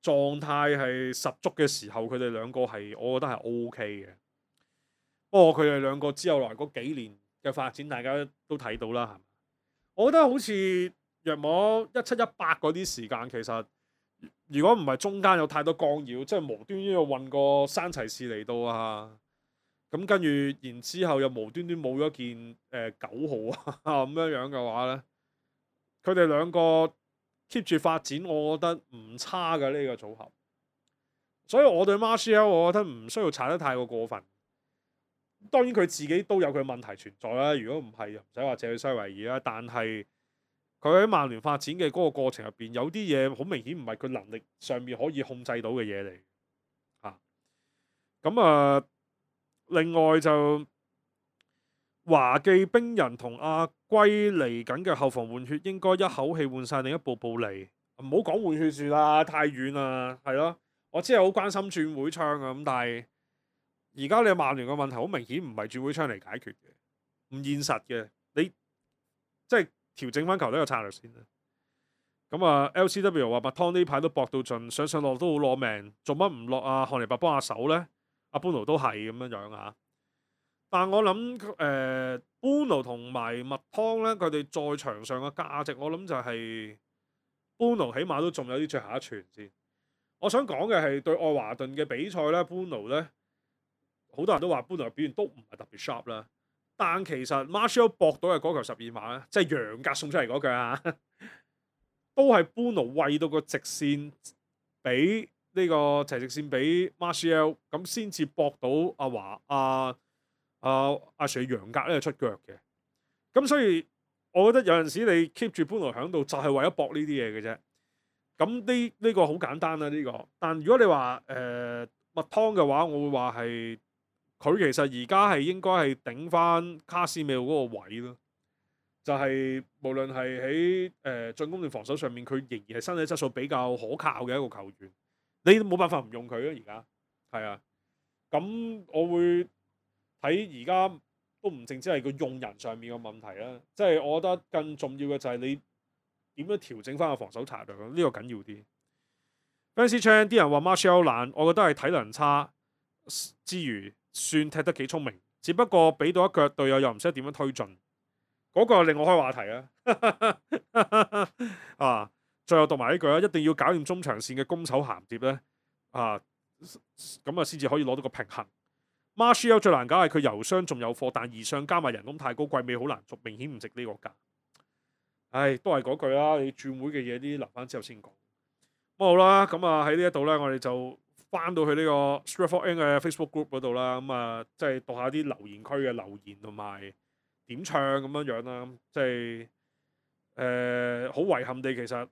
[SPEAKER 2] 狀態係十足嘅時候，佢哋兩個係我覺得係 OK 嘅。不過佢哋兩個之後來嗰幾年嘅發展，大家都睇到啦，係嘛？我覺得好似約莫一七一八嗰啲時間，其實。如果唔係中間有太多干擾，即係無端端又運個山齊士嚟到啊，咁跟住然之後又無端端冇咗件誒九、呃、號啊咁樣樣嘅話咧，佢哋兩個 keep 住發展，我覺得唔差嘅呢、呢個組合。所以我對 Martial 我覺得唔需要踩得太過過分。當然佢自己都有佢問題存在啦，如果唔係又唔使話借去西維爾啦，但係。佢喺曼聯發展嘅嗰個過程入邊，有啲嘢好明顯唔係佢能力上面可以控制到嘅嘢嚟嚇。咁啊，另外就華記冰人同阿龜嚟緊嘅後防換血，應該一口氣換晒另一部部嚟，唔好講換血算啦，太遠啦，係咯。我知係好關心轉會窗啊，咁但係而家你曼聯嘅問題好明顯唔係轉會窗嚟解決嘅，唔現實嘅，你即係。調整翻球隊嘅策略先啦。咁啊 ，L C W 話麥湯呢排都搏到盡，上上落都好攞命，做乜唔落啊？漢尼拔幫下手咧？阿 Bruno 都係咁樣樣啊。但我諗誒 Bruno 同埋麥湯咧，佢哋在場上嘅價值，我諗就係 Bruno 起碼都仲有啲最後一傳先。我想講嘅係對愛華頓嘅比賽咧 Bruno 咧，好多人都話 Bruno 嘅表現都唔係特別 sharp 啦。但其實 Martial 搏到嘅嗰球十二碼咧，即係楊格送出嚟嗰腳啊，都係 Bruno 餵到個直線俾呢個齊直線俾 Martial，咁先至搏到阿華阿阿阿 Sir 楊格咧出腳嘅。咁所以我覺得有陣時你 keep 住 Bruno 喺度，就係為咗搏呢啲嘢嘅啫。咁呢呢個好簡單啦，呢個。但如果你話誒麥湯嘅話，我會話係佢其實而家係應該係頂翻卡斯米魯嗰個位咯。就係、無論係喺誒進攻定防守上面，佢仍然係身體質素比較可靠嘅一個球員。你冇辦法唔用佢啊！而家係啊，咁我會睇而家都唔淨止係個用人上面嘅問題啦，即係我覺得更重要嘅就係你點樣調整翻個防守策略，呢、呢個緊要啲。Fancy Chan 啲人話 Martial 懶，我覺得係體能差之餘，算踢得幾聰明，只不過俾到一腳隊友又唔識點樣推進。嗰個令我開話題啊！啊，最後讀埋呢句啊，一定要搞掂中長線嘅攻守銜接咧啊，咁啊先至可以攞到個平衡。Martial 最難搞係佢油商仲有貨，但二商加埋人工太高，季尾好難續，明顯唔值呢個價。唉，都係嗰句啦，你轉會嘅嘢啲留翻之後先講。咁好啦，咁啊喺呢一度咧，我哋就翻到去呢個 Stratford End 嘅 Facebook group 嗰度啦，咁啊即係讀下啲留言區嘅留言同埋點唱咁樣樣啦，即係誒好遺憾地，其實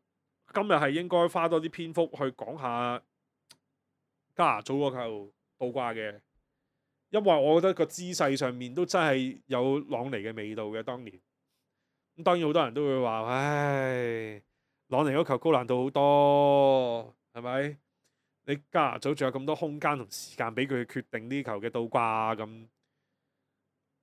[SPEAKER 2] 今日係應該花多啲篇幅去講下加拿祖嗰球倒掛嘅，因為我覺得個姿勢上面都真係有朗尼嘅味道嘅。當年咁當然好多人都會話，唉，朗尼嗰球高難度好多，係咪？你加拿祖仲有咁多空間同時間俾佢決定呢球嘅倒掛咁。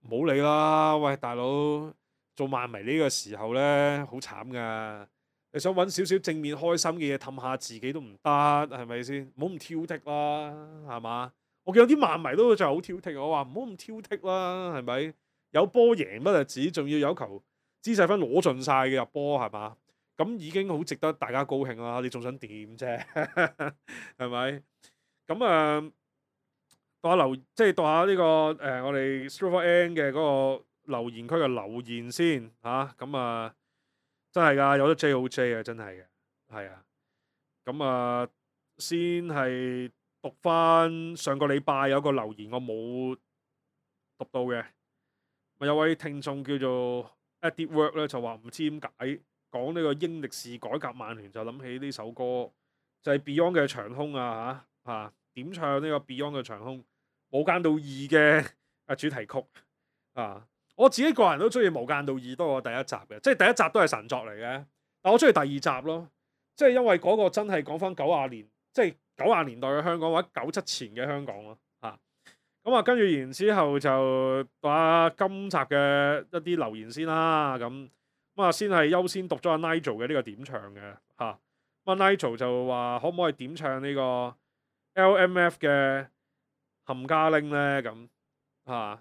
[SPEAKER 2] 唔好理啦，喂大佬，做漫迷呢個時候呢，好慘噶。你想揾少少正面開心嘅嘢氹下自己都唔得，係咪先？唔好咁挑剔啦，係嘛？我見有啲漫迷都就係好挑剔，我話唔好咁挑剔啦，係咪？有波贏不就止，仲要有球姿勢分攞盡晒嘅入波，係嘛？咁已經好值得大家高興啦。你仲想點啫？係咪？咁啊〜、呃讀下留，即係讀下呢、這個誒、呃，我哋 Stratford End 嘅嗰個留言區嘅留言先嚇，咁啊真係㗎，有得 J 好 J 啊，真係嘅，係啊，咁啊先係讀翻上個禮拜有個留言我冇讀到嘅，咪有位聽眾叫做 Edit Work 咧，就話唔知點解講呢個英力士改革曼聯就諗起呢首歌，就係、是、Beyond 嘅長空啊嚇嚇。點唱呢個 Beyond 嘅長空無間道二嘅啊主題曲啊！我自己個人都中意無間道二多過第一集嘅，即係第一集都係神作嚟嘅，但我中意第二集咯，即係因為嗰個真係講翻九廿年，即係九廿年代嘅香港或者九七前嘅香港咯嚇。咁啊，跟住然之後就讀下今集嘅一啲留言先啦。咁咁啊，先係優先讀咗阿 Nigel 嘅呢個點唱嘅嚇。咁啊 Nigel 就話可唔可以點唱呢個 L M F 嘅冚家拎咧？咁嚇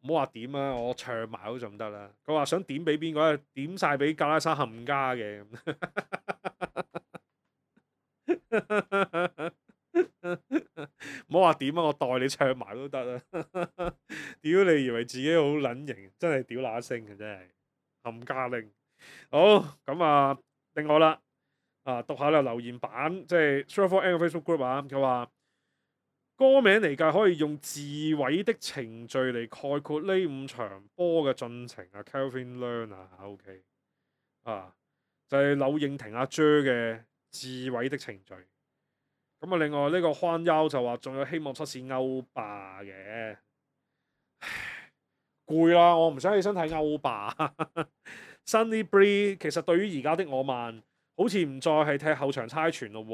[SPEAKER 2] 唔好話點啊，我唱埋都仲得啦。佢話想點俾邊個咧？點晒俾格拉沙冚家嘅咁。唔好話點啊，我代你唱埋都得啊！屌你以為自己好撚型，真係屌乸聲嘅真係冚家拎。好咁啊，另外啦。啊，讀下啦留言版，即係 Stratford End 嘅 Facebook group 啊。佢話歌名嚟計可以用自毀的程序嚟概括呢五場波嘅進程啊。Calvin Learn 啊 ，OK 啊，就係、是、柳應廷阿 J 嘅自毀的程序。咁啊，另外呢個寬優就話仲有希望出線歐霸嘅，攰啦，我唔想起身睇歐霸。Sunny Bree 其實對於而家的我慢。好似唔再係踢後場猜傳咯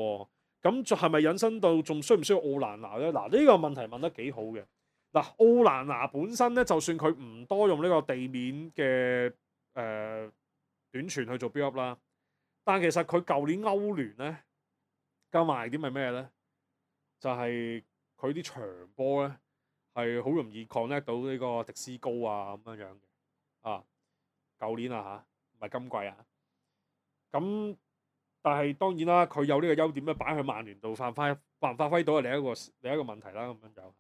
[SPEAKER 2] 喎，咁仲係咪引申到仲需唔需要奧蘭拿咧？嗱，呢個問題問得幾好嘅。嗱，奧蘭拿本身咧，就算佢唔多用呢個地面嘅誒、呃、短傳去做 build up 啦，但其實佢舊年歐聯咧加埋啲咪咩咧？就係佢啲長波咧係好容易 connect 到呢個迪斯高啊咁樣樣嘅啊。舊年啊嚇，唔係今季啊。咁但係當然啦，佢有呢個優點咧，擺去曼聯度發揮，發唔發揮到係另一個另一個問題啦。咁樣就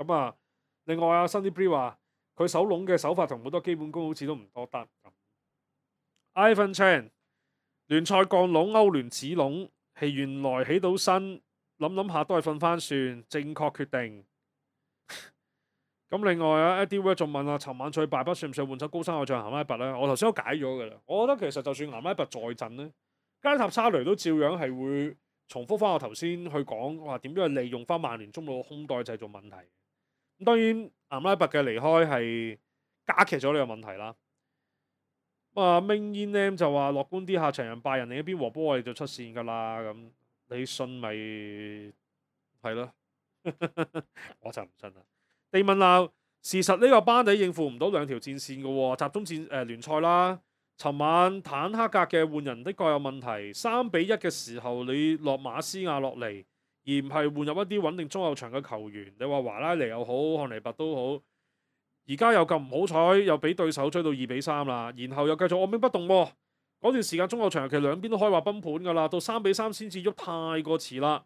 [SPEAKER 2] 咁啊。另外啊 Sunny Bree 話佢守籠嘅手法同好多基本功好似都唔多得。Ivan Chan 聯賽降籠，歐聯止籠，係原來起到身，諗諗下都係瞓翻算，正確決定。咁另外啊 Eddie Ward 仲問啊，尋晚最敗筆算唔算換走高山偶像咸拉拔咧？我頭先都解咗㗎啦。我覺得其實就算咸拉拔在陣咧，加塔沙雷都照樣係會重複翻我頭先去講話點樣去利用翻曼聯中路嘅空檔製造問題。咁當然岩拉伯嘅離開係加劇咗呢個問題啦。咁啊 Ming Yin Lam 就話樂觀啲，下場人拜仁另一邊和波我哋就出線㗎啦。咁你信咪係咯？我就唔信啦。地問鬧，事實呢個班底應付唔到兩條戰線嘅喎，集中戰誒、呃、聯賽啦。尋晚坦克格嘅換人的確有問題，三比一嘅時候你落馬斯亞落嚟，而唔係換入一啲穩定中後場嘅球員。你話華拉尼又好，漢尼拔都好，而家又咁唔好彩，又俾對手追到二比三啦，然後又繼續按兵不動喎。嗰段時間中後場其實兩邊都可以話崩盤㗎啦，到三比三先至喐，太過遲啦。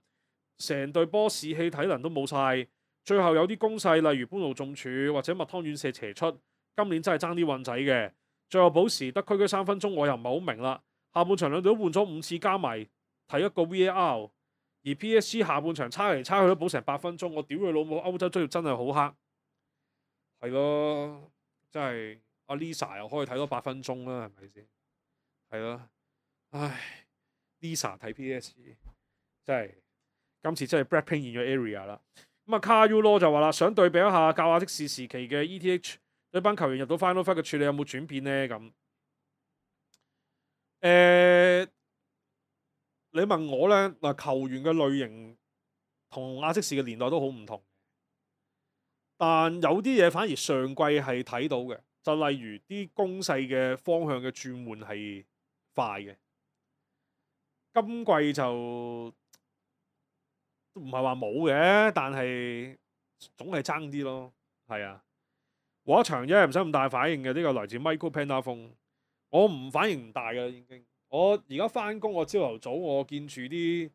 [SPEAKER 2] 成隊波士氣體能都冇晒，最後有啲攻勢，例如般奴中柱或者麥湯遠射斜出，今年真係爭啲運仔嘅。最後補時得區區三分鐘，我又唔係好明啦。下半場兩隊都換咗五次，加埋睇一個 V A R， 而 P S G 下半場差嚟差去都補成八分鐘，我屌佢老母！歐洲追真係好黑，係咯，真係阿 Lisa 又可以睇多八分鐘啦，係咪先？係咯，唉 ，Lisa 睇 P S G 真係今次真係 Blackpink in your area 啦。咁啊，卡 U 羅就話啦，想對比一下教亞的士時期嘅 E T H。呢班球員入到 Final Five 嘅處理有冇轉變呢？咁誒、呃，你問我呢，嗱，球員嘅類型同亞積士嘅年代都好唔同，但有啲嘢反而上季係睇到嘅，就例如啲攻勢嘅方向嘅轉換係快嘅，今季就唔係話冇嘅，但係總係爭啲咯，係啊。和一場啫，唔使咁大反應嘅。呢、這個來自 Michael Panda 我唔反應唔大嘅已經。我而家翻工，我朝頭早我見住啲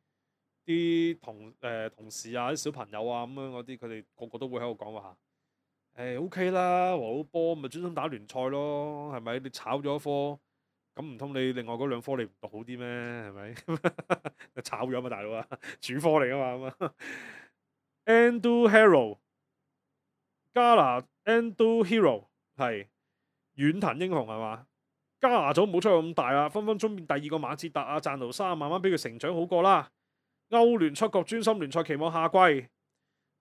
[SPEAKER 2] 啲同誒、呃、同事啊、啲小朋友啊咁樣嗰啲，佢哋個個都會喺度講話誒 OK 啦，和好波咪專心打聯賽咯，係咪？你炒咗一科，咁唔通你另外嗰兩科你唔讀好啲咩？係咪？炒咗嘛，大佬啊，主科嚟噶嘛咁啊。Endo Hero 加拿 Endo Hero 係遠藤英雄係嘛？加拿組冇出咁大啦，分分鐘變第二個馬哲達啊、贊奴沙，慢慢俾佢成長好過啦。歐聯出局，專心聯賽，期望下季。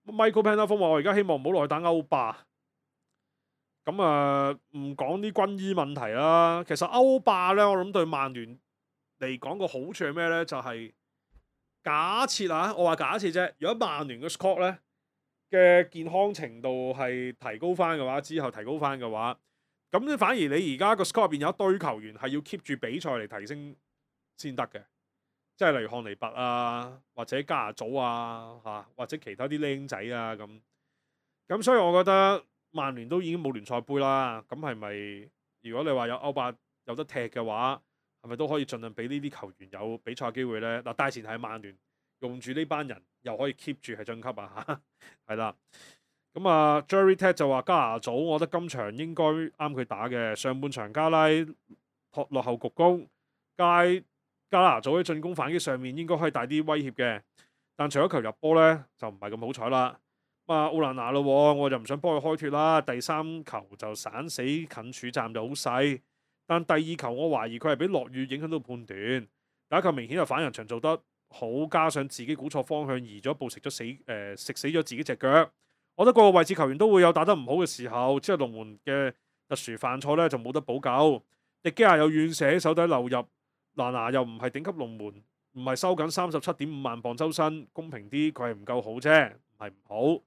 [SPEAKER 2] Michael Panda 話：我而家希望唔好落去打歐霸。咁啊，唔講啲軍醫問題啦。其實歐霸咧，我諗對曼聯嚟講個好處係咩咧？就係、是、假設啊，我話假設啫。如果曼聯嘅 squad 咧嘅健康程度係提高翻嘅話，之後提高翻嘅話，咁咧反而你而家個 squad 入邊有一堆球員係要 keep 住比賽嚟提升先得嘅，即係例如漢尼拔啊，或者加拿祖啊，嚇、啊、或者其他啲僆仔啊咁。咁所以我覺得曼聯都已經冇聯賽杯啦，咁係咪如果你話有歐霸有得踢嘅話，係咪都可以盡量俾呢啲球員有比賽機會咧？嗱，大前提係曼聯用住呢班人又可以 keep 住係晉級啊嚇，係啦。咁啊 Jerry Ted 就話加拿祖，我覺得今場應該啱佢打嘅。上半場加拉托落後局攻，加加拿祖喺進攻反擊上面應該可以大啲威脅嘅，但除咗球入波咧就唔係咁好彩啦。咁啊奧蘭拿咯，我就唔想幫佢開脱啦。第三球就散死近處站就好細，但第二球我懷疑佢係俾落雨影響到判斷。第一球明顯係反人牆做得好，加上自己估錯方向移咗步食咗死誒、呃、食死咗自己隻腳。我覺得個個位置球員都會有打得唔好嘅時候，即係龍門嘅特殊犯錯咧就冇得補救。迪基亞有遠射喺手底流入，蘭拿又唔係頂級龍門，唔係收緊三十七點五萬磅周薪，公平啲佢係唔夠好啫，唔係唔好。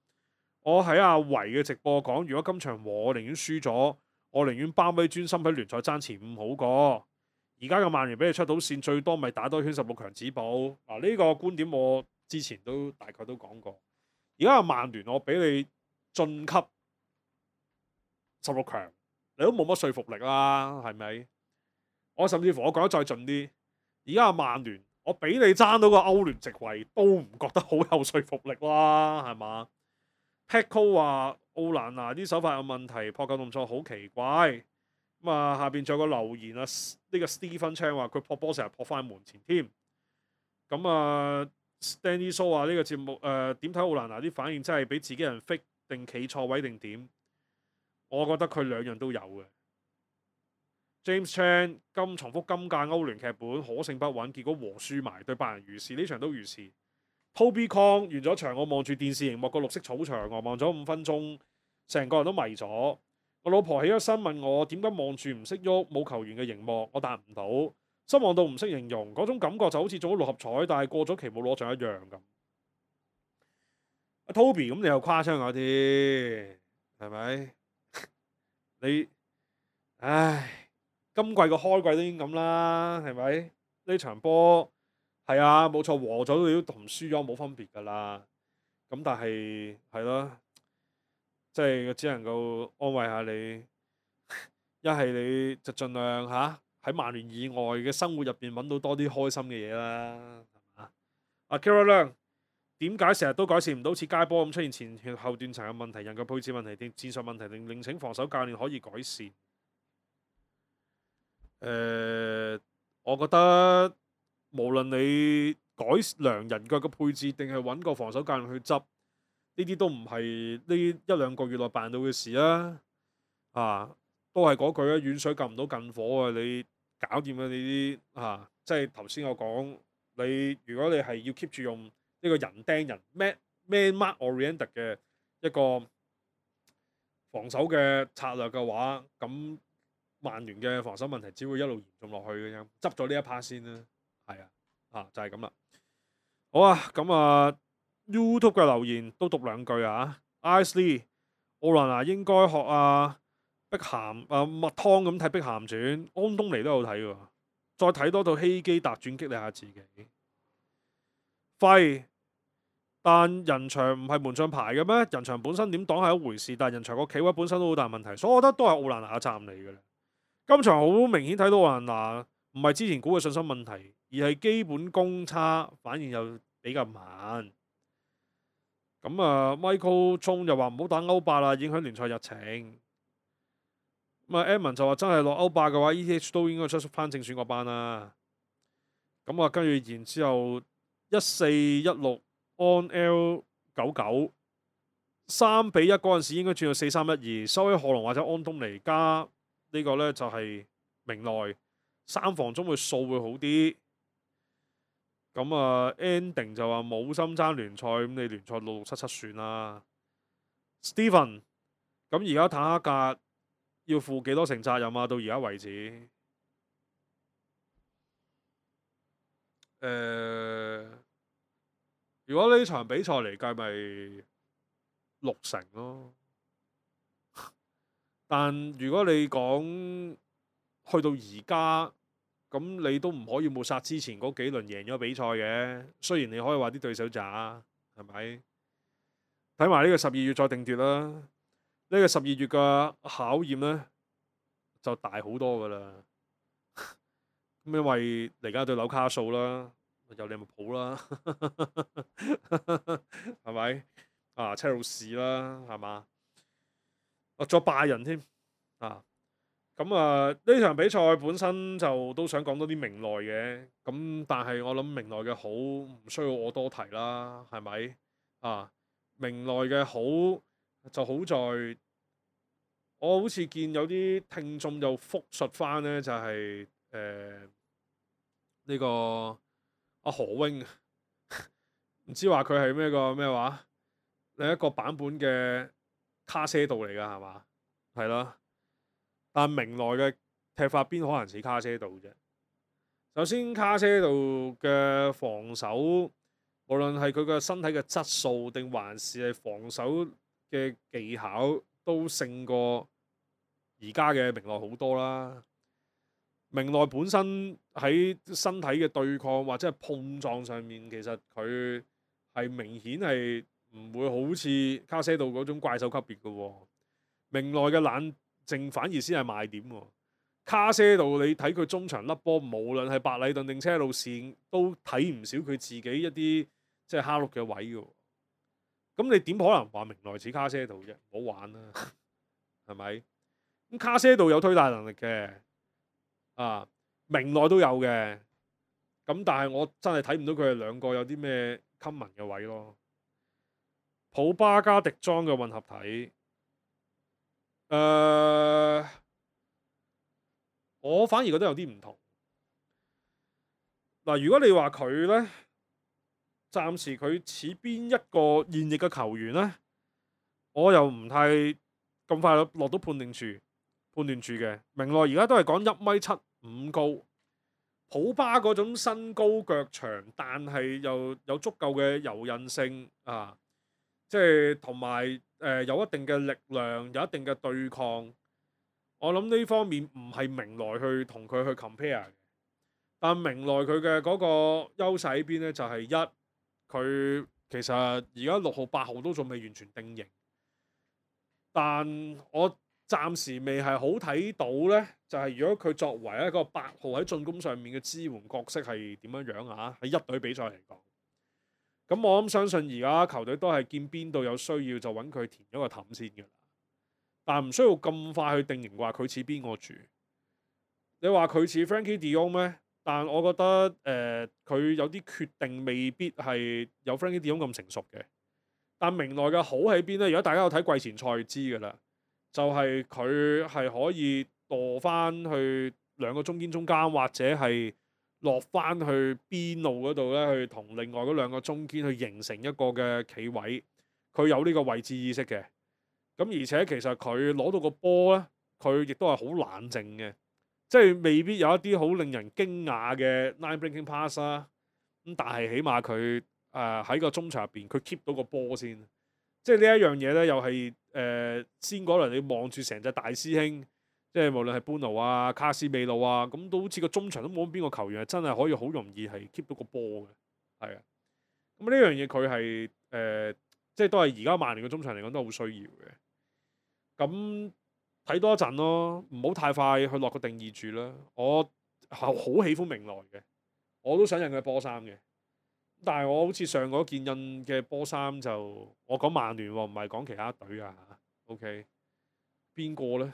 [SPEAKER 2] 我喺阿維嘅直播講，如果今場和我寧願輸咗，我寧願包尾專心喺聯賽爭前五好過。而家嘅曼聯俾你出到線，最多咪打多圈十六強止步。嗱、啊、呢、這個觀點我之前都大概都講過。而家嘅曼聯我俾你晉級十六強，你都冇乜說服力啦，係咪？我甚至乎我講得再盡啲，而家嘅曼聯我俾你爭到個歐聯席位，都唔覺得好有說服力啦，係嘛？Petco 話奧蘭拿啲手法有問題，撲救動作好奇怪。咁啊，下邊仲有個留言啊，呢、這個 Stephen Chan 話佢撲波成日撲翻門前添。咁啊 ，Stanley So 話呢個節目誒點睇奧蘭拿啲反應真係俾自己人 fake 定企錯位定點？我覺得佢兩樣都有嘅。James Chan 今重複今屆歐聯劇本可勝不穩，結果和輸埋對拜仁如是，呢場都如是。Toby Kong 完咗場，我望住電視熒幕個綠色草場，我望咗五分鐘，成個人都迷咗。我老婆起咗身問我點解望住唔識喐冇球員嘅熒幕，我答唔到，失望到唔識形容，嗰種感覺就好似中咗六合彩，但係過咗期冇攞獎一樣咁。阿 Toby 咁你又誇張咗啲，係咪？你唉，今季個開季都已經咁啦，係咪？呢場波係啊，冇錯，和咗你都同輸咗冇分別㗎啦。咁但係係咯，即係只能夠安慰下你。一係你就盡量嚇喺曼聯以外嘅生活入邊揾到多啲開心嘅嘢啦，係嘛？阿 Kira 亮點解成日都改善唔到似街波咁出現前段後段層嘅問題、人腳配置問題定戰術問題，定另請防守教練可以改善？誒、呃，我覺得無論你改良人腳嘅配置定係揾個防守教練去執，呢啲都唔係呢一兩個月內辦到嘅事啊！啊，都係嗰句啊，遠水救唔到近火啊！你搞掂咗你啲啊，即係頭先我講，你如果你係要 keep 住用呢個人釘人 man man mark oriented 嘅一個防守嘅策略嘅話，咁曼聯嘅防守問題只會一路嚴重落去嘅啫。執咗呢一 part 先啦，係啊，啊就係咁啦。好啊，咁啊 YouTube 嘅留言都讀兩句啊。Ice Lee， 奧蘭拿應該學啊碧咸啊麥湯咁睇《碧咸傳》，安東尼都有睇喎。再睇多套希基達傳，激勵下自己。廢，但人牆唔係門將牌嘅咩？人牆本身點擋係一回事，但人牆個企位本身都好大問題，所以我覺得都係奧蘭拿嘅責任嚟嘅。今場好明顯睇到奧蘭拿唔係之前估嘅信心問題，而係基本功差，反應又比較慢。咁啊 ，Michael 聰又話唔好打歐霸啦，影響聯賽日程。咁啊 Edmond 就話真係落歐霸嘅話 ，E T H 都應該出翻正選嗰班啦。咁啊，跟住然之後一四一六 on L 九九三比一嗰陣時應該轉到四三一二，收喺賀龍或者安東尼加呢個呢就係明內三防中嘅數會好啲。咁啊 ending 就話冇心爭聯賽，咁你聯賽六六七七算啦。Steven， 咁而家坦克格要負幾多成責任啊？到而家為止，誒、呃，如果呢場比賽嚟計，咪六成咯。但如果你講去到而家，咁你都唔可以抹殺之前嗰幾輪贏咗比賽嘅。雖然你可以話啲對手渣，係咪？睇埋呢個十二月再定奪啦。呢、呢個十二月嘅考驗呢，就大好多噶啦。咁因為嚟緊對紐卡素啦，有利物浦啦，係咪？啊，車路士啦，係嘛？啊，再拜仁添啊！咁啊，呢場比賽本身就都想講多啲明內嘅，咁但係我諗明內嘅好唔需要我多提啦，係咪？啊，明內嘅好就好在，我好似見有啲聽眾就復述翻呢，就係誒呢個阿何榮，唔知話佢係咩個咩話，另一個版本嘅卡些度嚟㗎係嘛？係啦。但明內嘅踢法邊可能似卡些度啫？首先卡些度嘅防守，無論係佢嘅身體嘅質素，定還是係防守嘅技巧，都勝過而家嘅明內好多啦。明內本身喺身體嘅對抗或者係碰撞上面，其實佢係明顯係唔會好似卡些度嗰種怪獸級別嘅喎。明內嘅冷淨反而先係賣點喎。卡些度你睇佢中場甩波，無論係白禮頓定車路士，都睇唔少佢自己一啲即係蝦碌嘅位嘅。咁你點可能話明內似卡些度啫？唔好玩啦，係咪？咁卡些度有推大能力嘅，啊明內都有嘅。咁但係我真係睇唔到佢哋兩個有啲咩 common 嘅位咯。普巴加迪莊嘅混合體。誒、呃，我反而覺得有啲唔同。嗱，如果你話佢咧，暫時佢似邊一個現役嘅球員咧，我又唔太咁快落到判定處判斷住嘅。明內而家都係講一米七五高，普巴嗰種身高腳長，但係又有足夠嘅柔韌性啊，即係同埋誒有一定嘅力量，有一定嘅對抗。我諗呢方面唔係明內去同佢去 compare 嘅，但明內佢嘅嗰個優勢喺邊咧？就係、是、一佢其實而家六號八號都仲未完全定型，但我暫時未係好睇到咧，就係、是、如果佢作為一個八號喺進攻上面嘅支援角色係點樣樣啊？喺一隊比賽嚟講，咁我諗相信而家球隊都係見邊度有需要就揾佢填咗個氹先嘅啦。但唔需要咁快去定型話佢似邊個住。你話佢似 Frankie De Jong 咩？但我覺得誒佢、呃、有啲決定未必係有 Frankie De Jong 咁成熟嘅。但明內嘅好喺邊咧？如果大家有睇季前賽就知㗎啦，就係佢係可以墮翻去兩個中堅中間，或者係落翻去邊路嗰度咧，去同另外嗰兩個中堅去形成一個嘅企位。佢有呢個位置意識嘅。咁而且其實佢攞到個波咧，佢亦都係好冷靜嘅，即係未必有一啲好令人驚訝嘅 line breaking pass 啦。咁但係起碼佢誒喺個中場入邊，佢 keep 到個波先。即係呢一樣嘢咧，又係誒、呃、先嗰輪你望住成隻大師兄，即係無論係班奴啊、卡斯美路啊，咁都好似個中場都冇邊個球員係真係可以好容易係 keep 到個波嘅，係啊。咁呢樣嘢佢係誒，即係都係而家曼聯嘅中場嚟講都好需要嘅。咁睇多一陣咯，唔好太快去落個定義住啦。我好喜歡明內嘅，我都想印佢波衫嘅。但係我好似上嗰件印嘅波衫就，我講曼聯喎，唔係講其他隊啊。OK，邊個咧？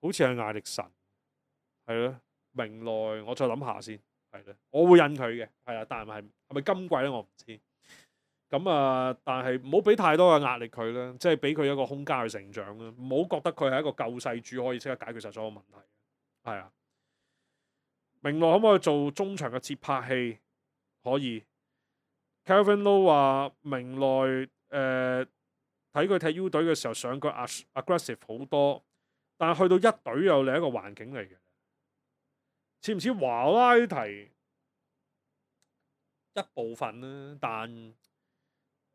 [SPEAKER 2] 好似係艾力神，係咯。明內我再諗下先，係咧。我會印佢嘅，係啊。但係係係咪今季咧？我唔知。咁啊，但係唔好俾太多嘅壓力佢啦，即係俾佢一個空間去成長啦。唔好覺得佢係一個救世主可以即刻解決晒所有問題。係啊，明內可唔可以做中場嘅接拍器？可以。Calvin Low 話明內誒睇佢踢 U 隊嘅時候上腳 aggressive 好多，但係去到一隊又另一個環境嚟嘅。似唔似華拉提一部分咧？但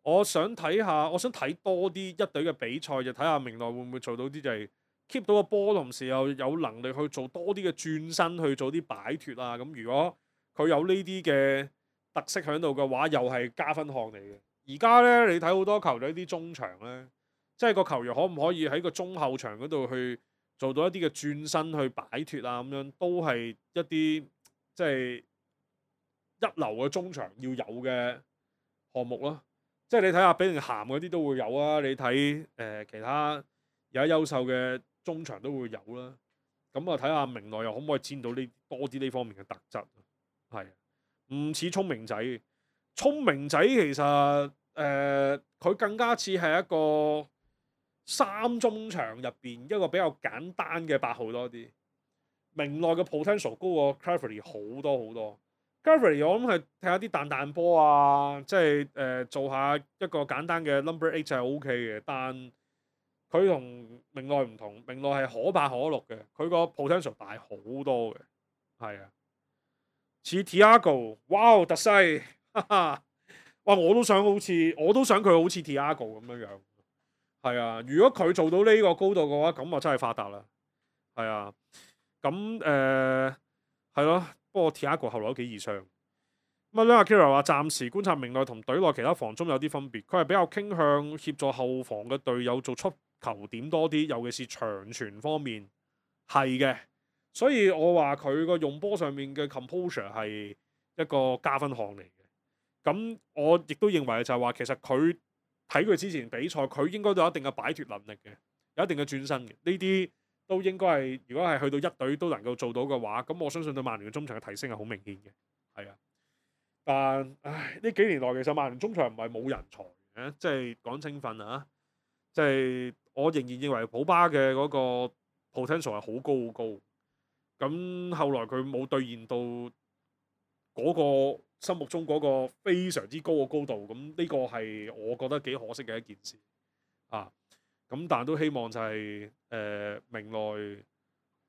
[SPEAKER 2] 我想睇下，我想睇多啲一,一隊嘅比賽，就睇下明內會唔會做到啲就係 keep 到個波，同時又有能力去做多啲嘅轉身，去做啲擺脫啊。咁如果佢有呢啲嘅特色喺度嘅話，又係加分項嚟嘅。而家咧，你睇好多球隊啲中場咧，即係個球員可唔可以喺個中後場嗰度去做到一啲嘅轉身去擺脫啊？咁樣都係一啲即係一流嘅中場要有嘅項目咯。即係你睇下比寧咸嗰啲都會有啊，你睇誒、呃、其他有優秀嘅中場都會有啦。咁啊睇下明內又可唔可以佔到呢多啲呢方面嘅特質？係唔似聰明仔？聰明仔其實誒佢、呃、更加似係一個三中場入邊一個比較簡單嘅八號多啲。明內嘅 potential 高過 Cleverley 好多好多。Cleverley 我諗係踢下啲彈彈波啊，即係誒、呃、做下一個簡單嘅 number eight 就係 O K 嘅，但佢同明內唔同，明內係可八可六嘅，佢個 potential 大好多嘅，係啊，似 Thiago，哇特西，哈哈，哇我都想好似，我都想佢好似 Thiago 咁樣樣，係啊，如果佢做到呢個高度嘅話，咁啊真係發達啦，係啊，咁誒係咯。不過 Thiago 後來都幾易傷。咁啊，阿 Kira 話暫時觀察明內同隊內其他防中有啲分別，佢係比較傾向協助後防嘅隊友做出球點多啲，尤其是長傳方面係嘅。所以我話佢個用波上面嘅 composure 係一個加分項嚟嘅。咁我亦都認為就係話，其實佢睇佢之前比賽，佢應該都有一定嘅擺脫能力嘅，有一定嘅轉身嘅呢啲。都應該係，如果係去到一隊都能夠做到嘅話，咁我相信對曼聯嘅中場嘅提升係好明顯嘅，係啊。但唉，呢幾年來其實曼聯中場唔係冇人才嘅，即係講青訓啊，即係我仍然認為普巴嘅嗰個 potential 係好高好高。咁後來佢冇兌現到嗰個心目中嗰個非常之高嘅高度，咁呢個係我覺得幾可惜嘅一件事啊。咁但都希望就係、誒、呃、明來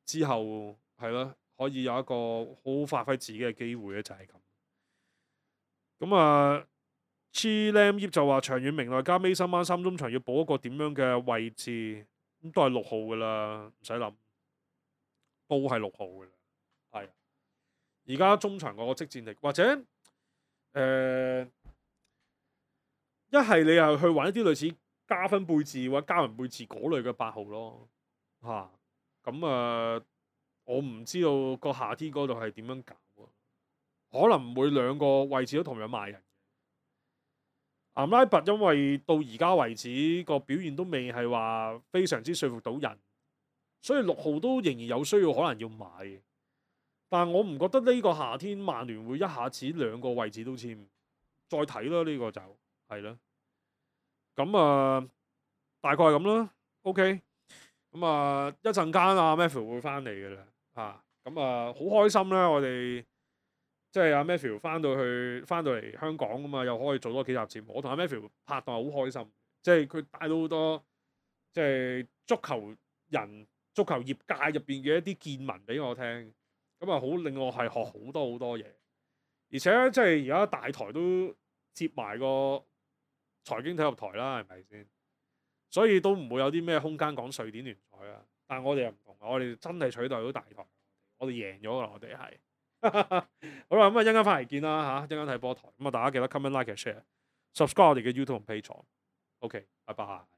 [SPEAKER 2] 之後係咯，可以有一個好好發揮自己嘅機會咧，就係咁。咁啊 Chi Lam 葉就話長遠明來加 Mason Mount 三中場要補一個點樣嘅位置，咁都係六號噶啦，唔使諗，都係六號噶啦，係。而家中場嗰個即戰力，或者誒一係你又去揾一啲類似加分貝治或者加文貝治嗰類嘅八號咯，嚇咁啊！我唔知道個夏天嗰度係點樣搞喎，可能唔會兩個位置都同樣賣人。岩拉拔因為到而家為止個表現都未係話非常之說服到人，所以六號都仍然有需要可能要買。但係我唔覺得呢個夏天曼聯會一下子兩個位置都簽，再睇啦，呢個就係啦。咁啊，大概係咁啦。OK，咁啊一陣間阿 Matthew 會翻嚟嘅啦。啊，咁啊好開心啦！我哋即係阿 Matthew 翻到去翻到嚟香港咁嘛，又可以做多幾集節目。我同阿 Matthew 拍檔好開心，即係佢帶到好多即係足球人、足球業界入邊嘅一啲見聞俾我聽。咁啊，好令我係學好多好多嘢，而且即係而家大台都接埋個財經體育台啦，係咪先？所以都唔會有啲咩空間講瑞典聯賽啊。但係我哋又唔同，我哋真係取代到大台，我哋贏咗啦，我哋係。好啦，咁啊一陣間翻嚟見啦嚇，一陣間睇波台。咁啊，大家記得 comment、like、share、subscribe 我哋嘅 YouTube 同 Patreon。OK，拜拜。